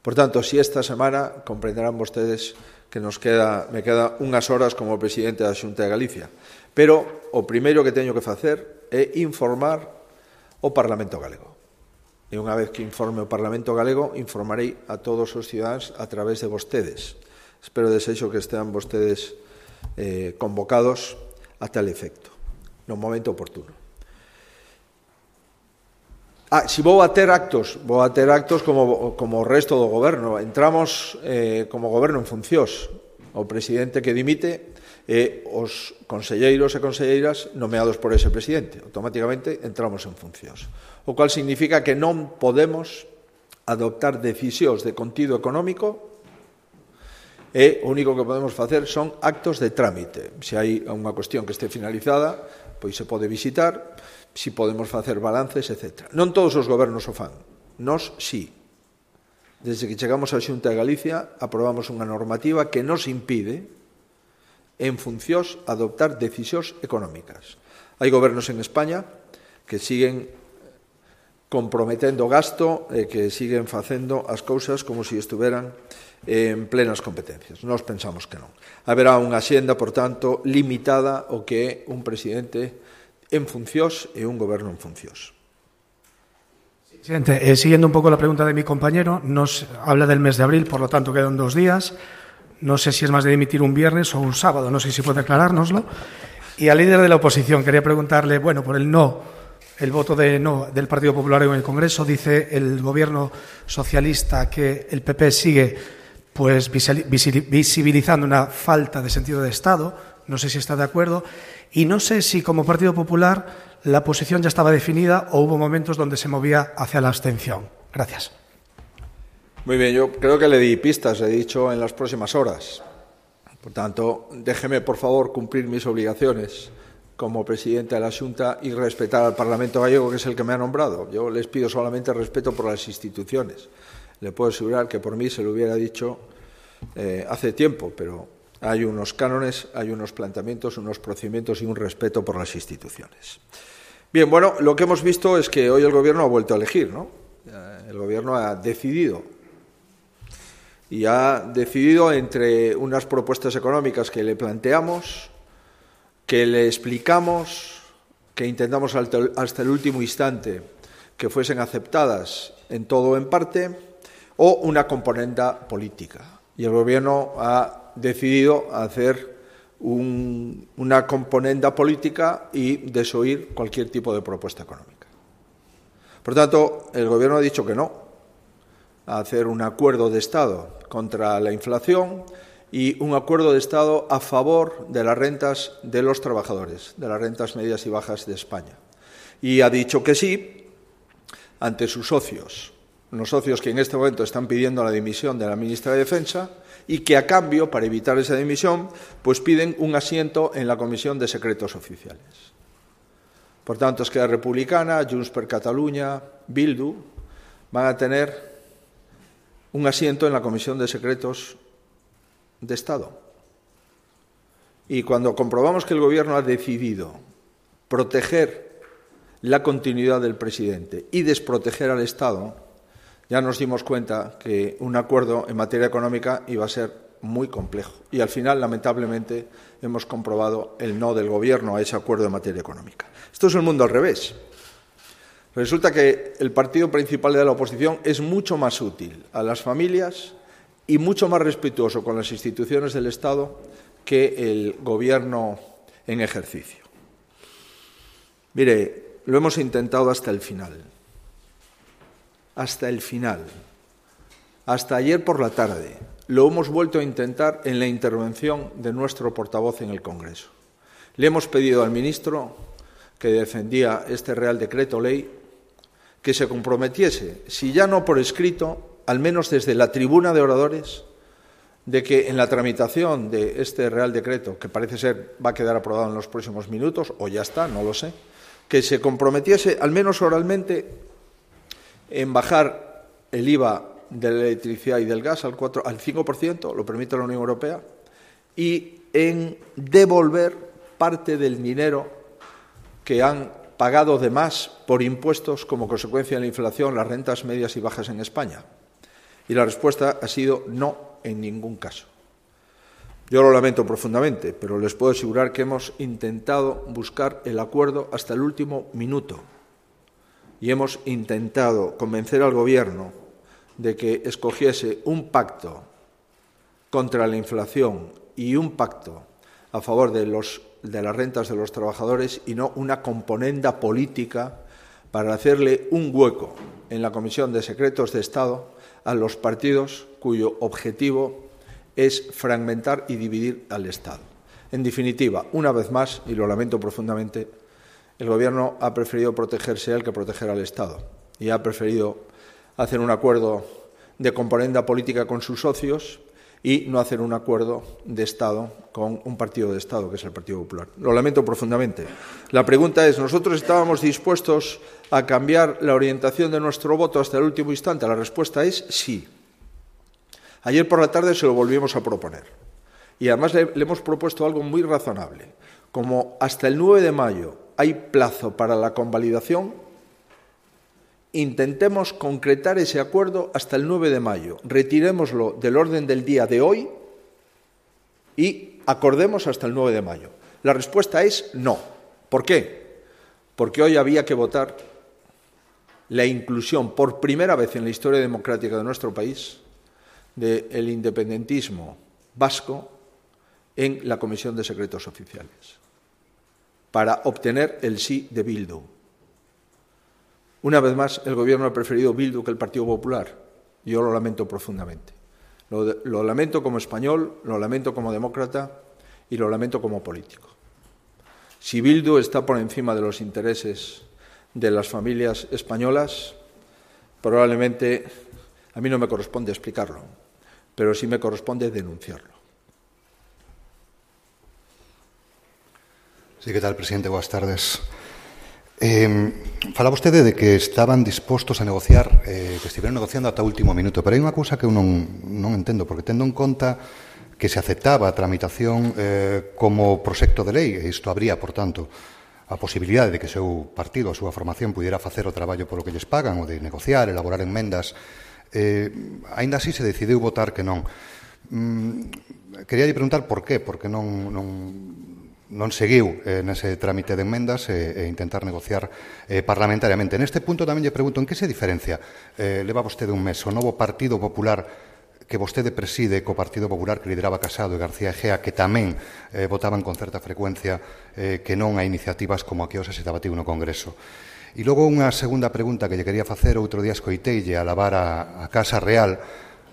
Por tanto, si esta semana comprenderán vostedes que nos queda, me queda unhas horas como presidente da Xunta de Galicia. Pero o primeiro que teño que facer é informar o Parlamento Galego. E unha vez que informe o Parlamento Galego, informarei a todos os cidadáns a través de vostedes. Espero desexo que estean vostedes eh, convocados a tal efecto, no momento oportuno. Ah, si vou a ter actos, vou a ter actos como, como o resto do goberno. Entramos eh, como goberno en funcións. O presidente que dimite e os conselleiros e conselleiras nomeados por ese presidente. Automáticamente entramos en funcións. O cual significa que non podemos adoptar decisións de contido económico e o único que podemos facer son actos de trámite. Se hai unha cuestión que este finalizada, pois se pode visitar, si podemos facer balances, etcétera. Non todos os gobernos o fan. Nos, sí. Desde que chegamos á Xunta de Galicia, aprobamos unha normativa que nos impide, en funcións, adoptar decisións económicas. Hai gobernos en España que siguen comprometendo gasto e que siguen facendo as cousas como se estuveran en plenas competencias. Nós pensamos que non. Haberá unha xenda, por tanto, limitada ao que é un presidente en funcións e un goberno en funcións. Presidente, eh, siguiendo un poco la pregunta de mi compañero, nos habla del mes de abril, por lo tanto quedan dos días. No sé si es más de dimitir un viernes o un sábado, no sé si puede aclarárnoslo. Y al líder de la oposición quería preguntarle, bueno, por el no, el voto de no del Partido Popular en el Congreso, dice el gobierno socialista que el P P sigue pues visibilizando una falta de sentido de Estado, no sé si está de acuerdo, y no sé si como Partido Popular la posición ya estaba definida o hubo momentos donde se movía hacia la abstención. Gracias. Muy bien, yo creo que le di pistas, he dicho en las próximas horas. Por tanto, déjeme, por favor, cumplir mis obligaciones como presidente de la Xunta y respetar al Parlamento gallego, que es el que me ha nombrado. Yo les pido solamente respeto por las instituciones. Le puedo asegurar que por mí se lo hubiera dicho eh, hace tiempo, pero hay unos cánones, hay unos planteamientos, unos procedimientos y un respeto por las instituciones. Bien, bueno, lo que hemos visto es que hoy el Gobierno ha vuelto a elegir, ¿no? El Gobierno ha decidido y ha decidido entre unas propuestas económicas que le planteamos, que le explicamos, que intentamos hasta el último instante que fuesen aceptadas en todo o en parte, o una componenda política. Y el Gobierno ha decidido hacer un, una componenda política y desoír cualquier tipo de propuesta económica. Por tanto, el Gobierno ha dicho que no a hacer un acuerdo de Estado contra la inflación y un acuerdo de Estado a favor de las rentas de los trabajadores, de las rentas medias y bajas de España. Y ha dicho que sí ante sus socios, unos socios que en este momento están pidiendo la dimisión de la ministra de Defensa y que a cambio, para evitar esa dimisión, pues piden un asiento en la Comisión de Secretos Oficiales. Por tanto, Esquerra Republicana, Junts per Catalunya, Bildu van a tener un asiento en la Comisión de Secretos de Estado. Y cuando comprobamos que el Gobierno ha decidido proteger la continuidad del presidente y desproteger al Estado, ya nos dimos cuenta que un acuerdo en materia económica iba a ser muy complejo. Y al final, lamentablemente, hemos comprobado el no del Gobierno a ese acuerdo en materia económica. Esto es el mundo al revés. Resulta que el partido principal de la oposición es mucho más útil a las familias y mucho más respetuoso con las instituciones del Estado que el Gobierno en ejercicio. Mire, lo hemos intentado hasta el final. Hasta el final. Hasta ayer por la tarde. Lo hemos vuelto a intentar en la intervención de nuestro portavoz en el Congreso. Le hemos pedido al ministro que defendía este Real Decreto Ley que se comprometiese, si ya no por escrito, al menos desde la tribuna de oradores, de que en la tramitación de este Real Decreto, que parece ser va a quedar aprobado en los próximos minutos, o ya está, no lo sé, que se comprometiese, al menos oralmente, en bajar el I V A de la electricidad y del gas al, cuatro, al cinco por ciento, lo permite la Unión Europea, y en devolver parte del dinero que han pagado de más por impuestos como consecuencia de la inflación las rentas medias y bajas en España. Y la respuesta ha sido no en ningún caso. Yo lo lamento profundamente, pero les puedo asegurar que hemos intentado buscar el acuerdo hasta el último minuto y hemos intentado convencer al Gobierno de que escogiese un pacto contra la inflación y un pacto a favor de, los, de las rentas de los trabajadores y no una componenda política para hacerle un hueco en la Comisión de Secretos de Estado a los partidos cuyo objetivo es fragmentar y dividir al Estado. En definitiva, una vez más, y lo lamento profundamente, el Gobierno ha preferido protegerse a él que proteger al Estado y ha preferido hacer un acuerdo de componenda política con sus socios y no hacer un acuerdo de Estado con un partido de Estado, que es el Partido Popular. Lo lamento profundamente. La pregunta es, ¿nosotros estábamos dispuestos a cambiar la orientación de nuestro voto hasta el último instante? La respuesta es sí. Ayer por la tarde se lo volvimos a proponer. Y además le, le hemos propuesto algo muy razonable. Como hasta el nueve de mayo hay plazo para la convalidación, intentemos concretar ese acuerdo hasta el nueve de mayo. Retirémoslo del orden del día de hoy y acordemos hasta el nueve de mayo. La respuesta es no. ¿Por qué? Porque hoy había que votar la inclusión por primera vez en la historia democrática de nuestro país del independentismo vasco en la Comisión de Secretos Oficiales para obtener el sí de Bildu. Una vez más, el Gobierno ha preferido Bildu que el Partido Popular. Yo lo lamento profundamente. Lo, de, lo lamento como español, lo lamento como demócrata y lo lamento como político. Si Bildu está por encima de los intereses de las familias españolas, probablemente a mí no me corresponde explicarlo, pero sí me corresponde denunciarlo. Sí, ¿qué tal, presidente? Buenas tardes. Eh, falaba vostede de que estaban dispostos a negociar, eh, que estiveron negociando ata o último minuto, pero hai unha cousa que eu non, non entendo, porque tendo en conta que se aceptaba a tramitación eh, como proxecto de lei, e isto habría, por tanto, a posibilidade de que o seu partido, a súa formación, pudiera facer o traballo polo que lles pagan, ou de negociar, elaborar enmendas, eh, aínda así se decidiu votar que non. Mm, quería lle preguntar por qué, porque non... non non seguiu eh, nese trámite de enmendas e, e intentar negociar eh, parlamentariamente. Neste punto tamén lle pregunto en que se diferencia. Eh, leva vostede un mes o novo Partido Popular que vostede preside co Partido Popular que lideraba Casado e García Egea, que tamén eh, votaban con certa frecuencia eh, que non a iniciativas como a que hoxe se debatiu no Congreso. E logo unha segunda pregunta que lle quería facer, outro día escoiteille a lavar a, a Casa Real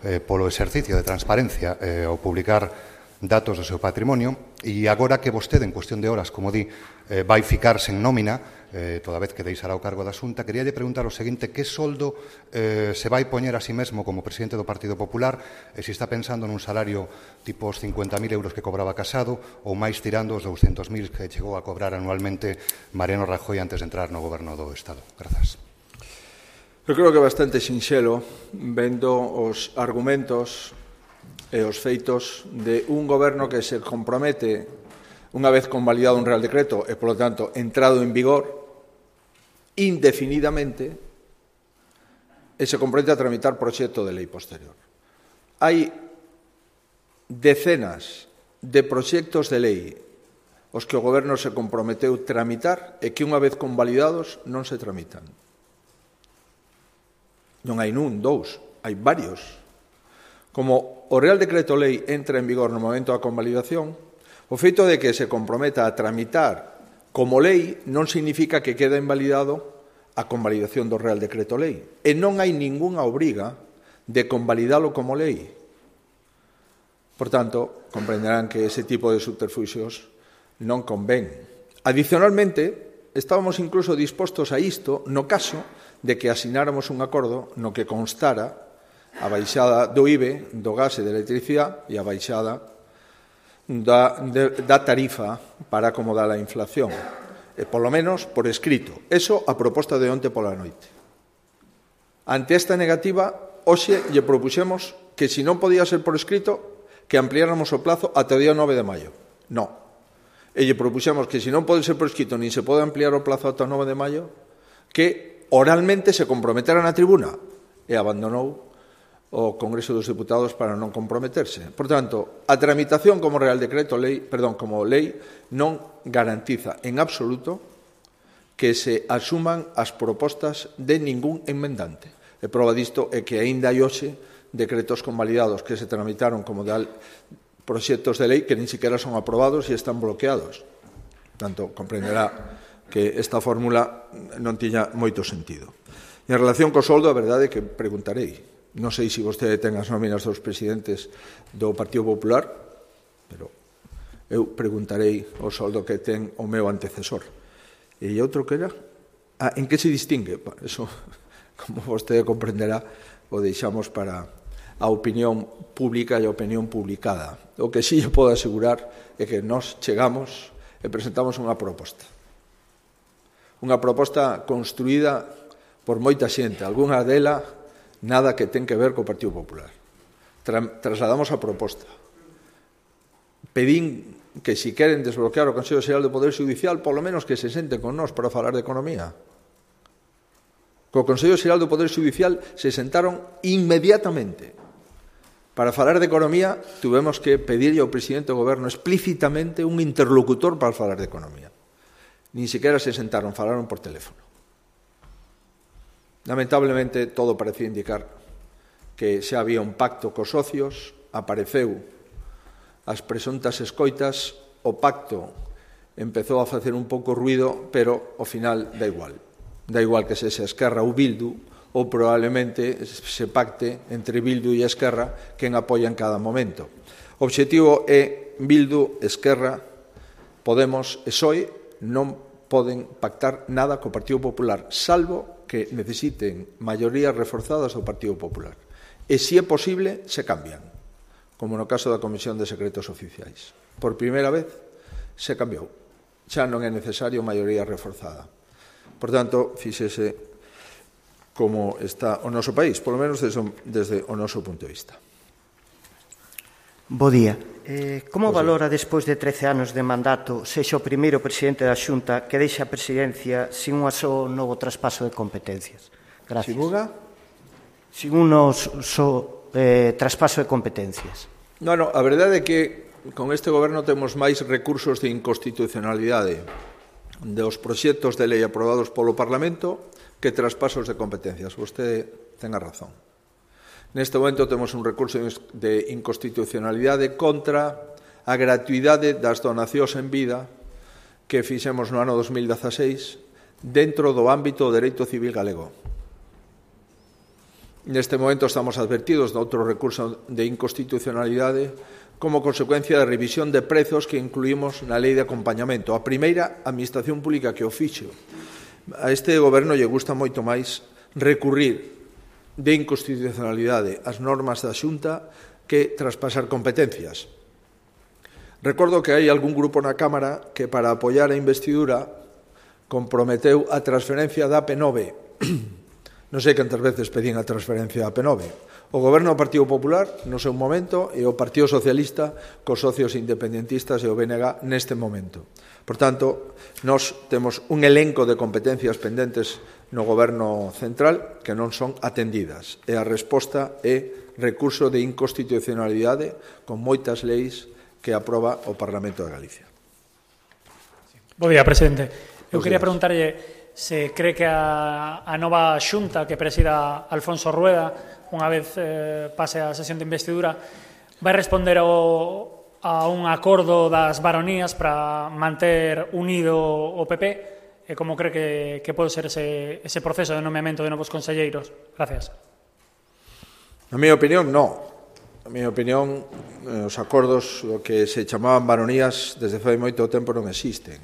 eh, polo exercicio de transparencia eh, ao publicar datos do seu patrimonio, e agora que vostede, en cuestión de horas, como di, eh, vai ficarse en nómina, eh, toda vez que deixará o cargo da Xunta, quería lle preguntar o seguinte: que soldo eh, se vai poñer a si mesmo como presidente do Partido Popular, e se está pensando nun salario tipo os cincuenta mil euros que cobraba Casado, ou máis tirando os douscentos mil que chegou a cobrar anualmente Mariano Rajoy antes de entrar no goberno do Estado. Grazas. Eu creo que é bastante sinxelo, vendo os argumentos e os feitos de un goberno que se compromete, unha vez convalidado un Real Decreto e, polo tanto, entrado en vigor, indefinidamente, e se compromete a tramitar proxecto de lei posterior. Hai decenas de proxectos de lei os que o goberno se comprometeu tramitar e que, unha vez convalidados, non se tramitan. Non hai nun, dous, hai varios. Como o Real Decreto Lei entra en vigor no momento da convalidación, o feito de que se comprometa a tramitar como lei non significa que queda invalidado a convalidación do Real Decreto Lei. E non hai ningunha obriga de convalidalo como lei. Por tanto, comprenderán que ese tipo de subterfuxios non convén. Adicionalmente, estábamos incluso dispostos a isto no caso de que asináramos un acordo no que constara a baixada do I B E, do gas e da electricidade e a baixada da, de, da tarifa para acomodar a inflación. E, polo menos, por escrito. Eso a proposta de onte pola noite. Ante esta negativa, hoxe lle propuxemos que, se non podía ser por escrito, que ampliáramos o plazo ata o día nove de maio. No. E lle propuxemos que, se non pode ser por escrito, nin se pode ampliar o plazo ata o nove de maio, que oralmente se comprometera na tribuna. E abandonou o Congreso dos Deputados para non comprometerse. Por tanto, a tramitación como Real Decreto Lei, perdón, como lei, non garantiza en absoluto que se asuman as propostas de ningún enmendante. E prova disto é que aínda hai hoxe decretos convalidados que se tramitaron como de proxectos de lei que nin siquiera son aprobados e están bloqueados. Tanto, comprenderá que esta fórmula non tiña moito sentido. E en relación co soldo, a verdade é que preguntarei. Non sei se vostede ten as nóminas dos presidentes do Partido Popular, pero eu preguntarei o soldo que ten o meu antecesor. E outro que era? Ah, en que se distingue? Eso, como vostede comprenderá, o deixamos para a opinión pública e a opinión publicada. O que sí eu podo asegurar é que nós chegamos e presentamos unha proposta. Unha proposta construída por moita xente, algunha dela nada que ten que ver co Partido Popular. Tra trasladamos a proposta. Pedín que, se queren desbloquear o Consello Xeral do Poder Judicial, polo menos que se senten con nós para falar de economía. Co Consello Xeral do Poder Judicial se sentaron inmediatamente. Para falar de economía, tuvemos que pedirlle ao presidente do Goberno explícitamente un interlocutor para falar de economía. Nin sequera se sentaron, falaron por teléfono. Lamentablemente, todo parecía indicar que xa había un pacto cos socios, apareceu as presuntas escoitas, o pacto empezou a facer un pouco ruido, pero ao final dá igual. Dá igual que sexa Esquerra ou Bildu, ou probablemente se pacte entre Bildu e Esquerra quen apoia en cada momento. O obxectivo é Bildu, Esquerra, Podemos e P S O E non poden pactar nada co Partido Popular, salvo que necesiten maiorías reforzadas do Partido Popular. E, se é posible, se cambian, como no caso da Comisión de Secretos Oficiais. Por primeira vez, se cambiou. Xa non é necesario maioría reforzada. Por tanto, fíxese como está o noso país, polo menos desde, desde o noso punto de vista. Bo día. Eh, como valora, despois de trece anos de mandato, sexa o primeiro presidente da Xunta que deixa a presidencia sin un só novo traspaso de competencias? Gracias. Sin unha? Sin un só eh, traspaso de competencias. No, no, a verdade é que con este goberno temos máis recursos de inconstitucionalidade dos proxectos de lei aprobados polo Parlamento que traspasos de competencias. Vostede ten a razón. Neste momento temos un recurso de inconstitucionalidade contra a gratuidade das donacións en vida que fixemos no ano dos mil dezaseis dentro do ámbito do dereito civil galego. Neste momento estamos advertidos de outro recurso de inconstitucionalidade como consecuencia da revisión de prezos que incluímos na lei de acompañamento. A primeira administración pública que o fixo. A este goberno lle gusta moito máis recurrir de inconstitucionalidade as normas da Xunta que traspasar competencias. Recordo que hai algún grupo na Cámara que para apoiar a investidura comprometeu a transferencia da A P nove. Non sei cantas veces pedín a transferencia da A P nove. O Goberno do Partido Popular no seu momento e o Partido Socialista cos socios independentistas e o B N G neste momento. Por tanto, nós temos un elenco de competencias pendentes no Goberno central que non son atendidas. E a resposta é recurso de inconstitucionalidade con moitas leis que aproba o Parlamento de Galicia. Bo día, presidente. Eu quería preguntarlle se cree que a, a nova xunta que presida Alfonso Rueda, unha vez eh, pase a sesión de investidura, vai responder ao, a un acordo das baronías para manter unido o P P e como cree que, que pode ser ese, ese proceso de nomeamento de novos conselleiros. Gracias. Na miña opinión, non. Na miña opinión, os acordos do que se chamaban baronías desde fai moito tempo non existen.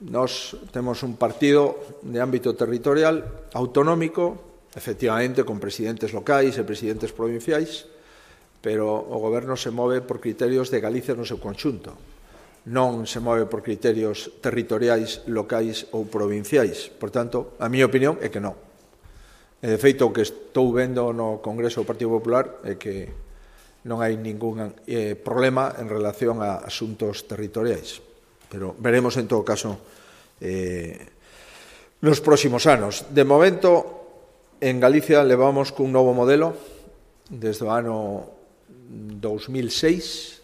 Nós temos un partido de ámbito territorial autonómico, efectivamente con presidentes locais e presidentes provinciais, pero o goberno se move por criterios de Galicia no seu conxunto. Non se move por criterios territoriais, locais ou provinciais. Por tanto, a miña opinión é que non. E, de feito, o que estou vendo no Congreso do Partido Popular é que non hai ningún eh, problema en relación a asuntos territoriais. Pero veremos, en todo caso, eh, nos próximos anos. De momento, en Galicia levamos cun novo modelo desde o ano dos mil seis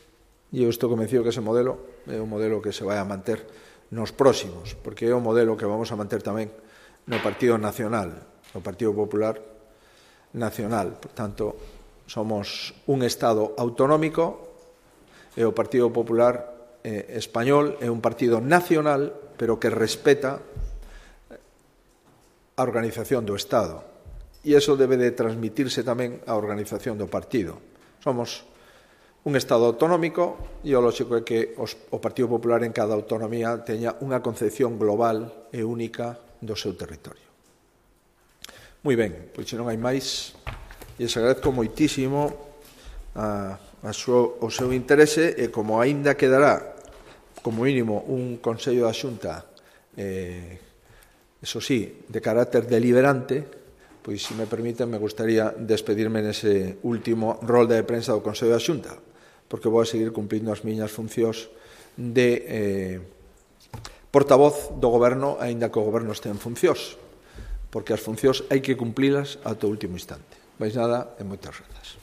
e eu estou convencido que ese modelo é un modelo que se vai a manter nos próximos, porque é un modelo que vamos a manter tamén no Partido Nacional, no Partido Popular Nacional. Por tanto, somos un Estado autonómico e o Partido Popular eh, Español é un partido nacional, pero que respeta a organización do Estado. E iso debe de transmitirse tamén á organización do partido. Somos un Estado autonómico e o lógico é que os, o Partido Popular en cada autonomía teña unha concepción global e única do seu territorio. Moi ben, pois se non hai máis, e se agradezco moitísimo a, a súa, o seu interese e como aínda quedará como mínimo un Consello da Xunta eh, eso sí, de carácter deliberante, pois se me permiten me gustaría despedirme nese último rol de prensa do Consello da Xunta, porque vou a seguir cumprindo as miñas funcións de eh, portavoz do Goberno, aínda que o Goberno este en funcións, porque as funcións hai que cumplilas ata o último instante. Mais nada, e moitas grazas.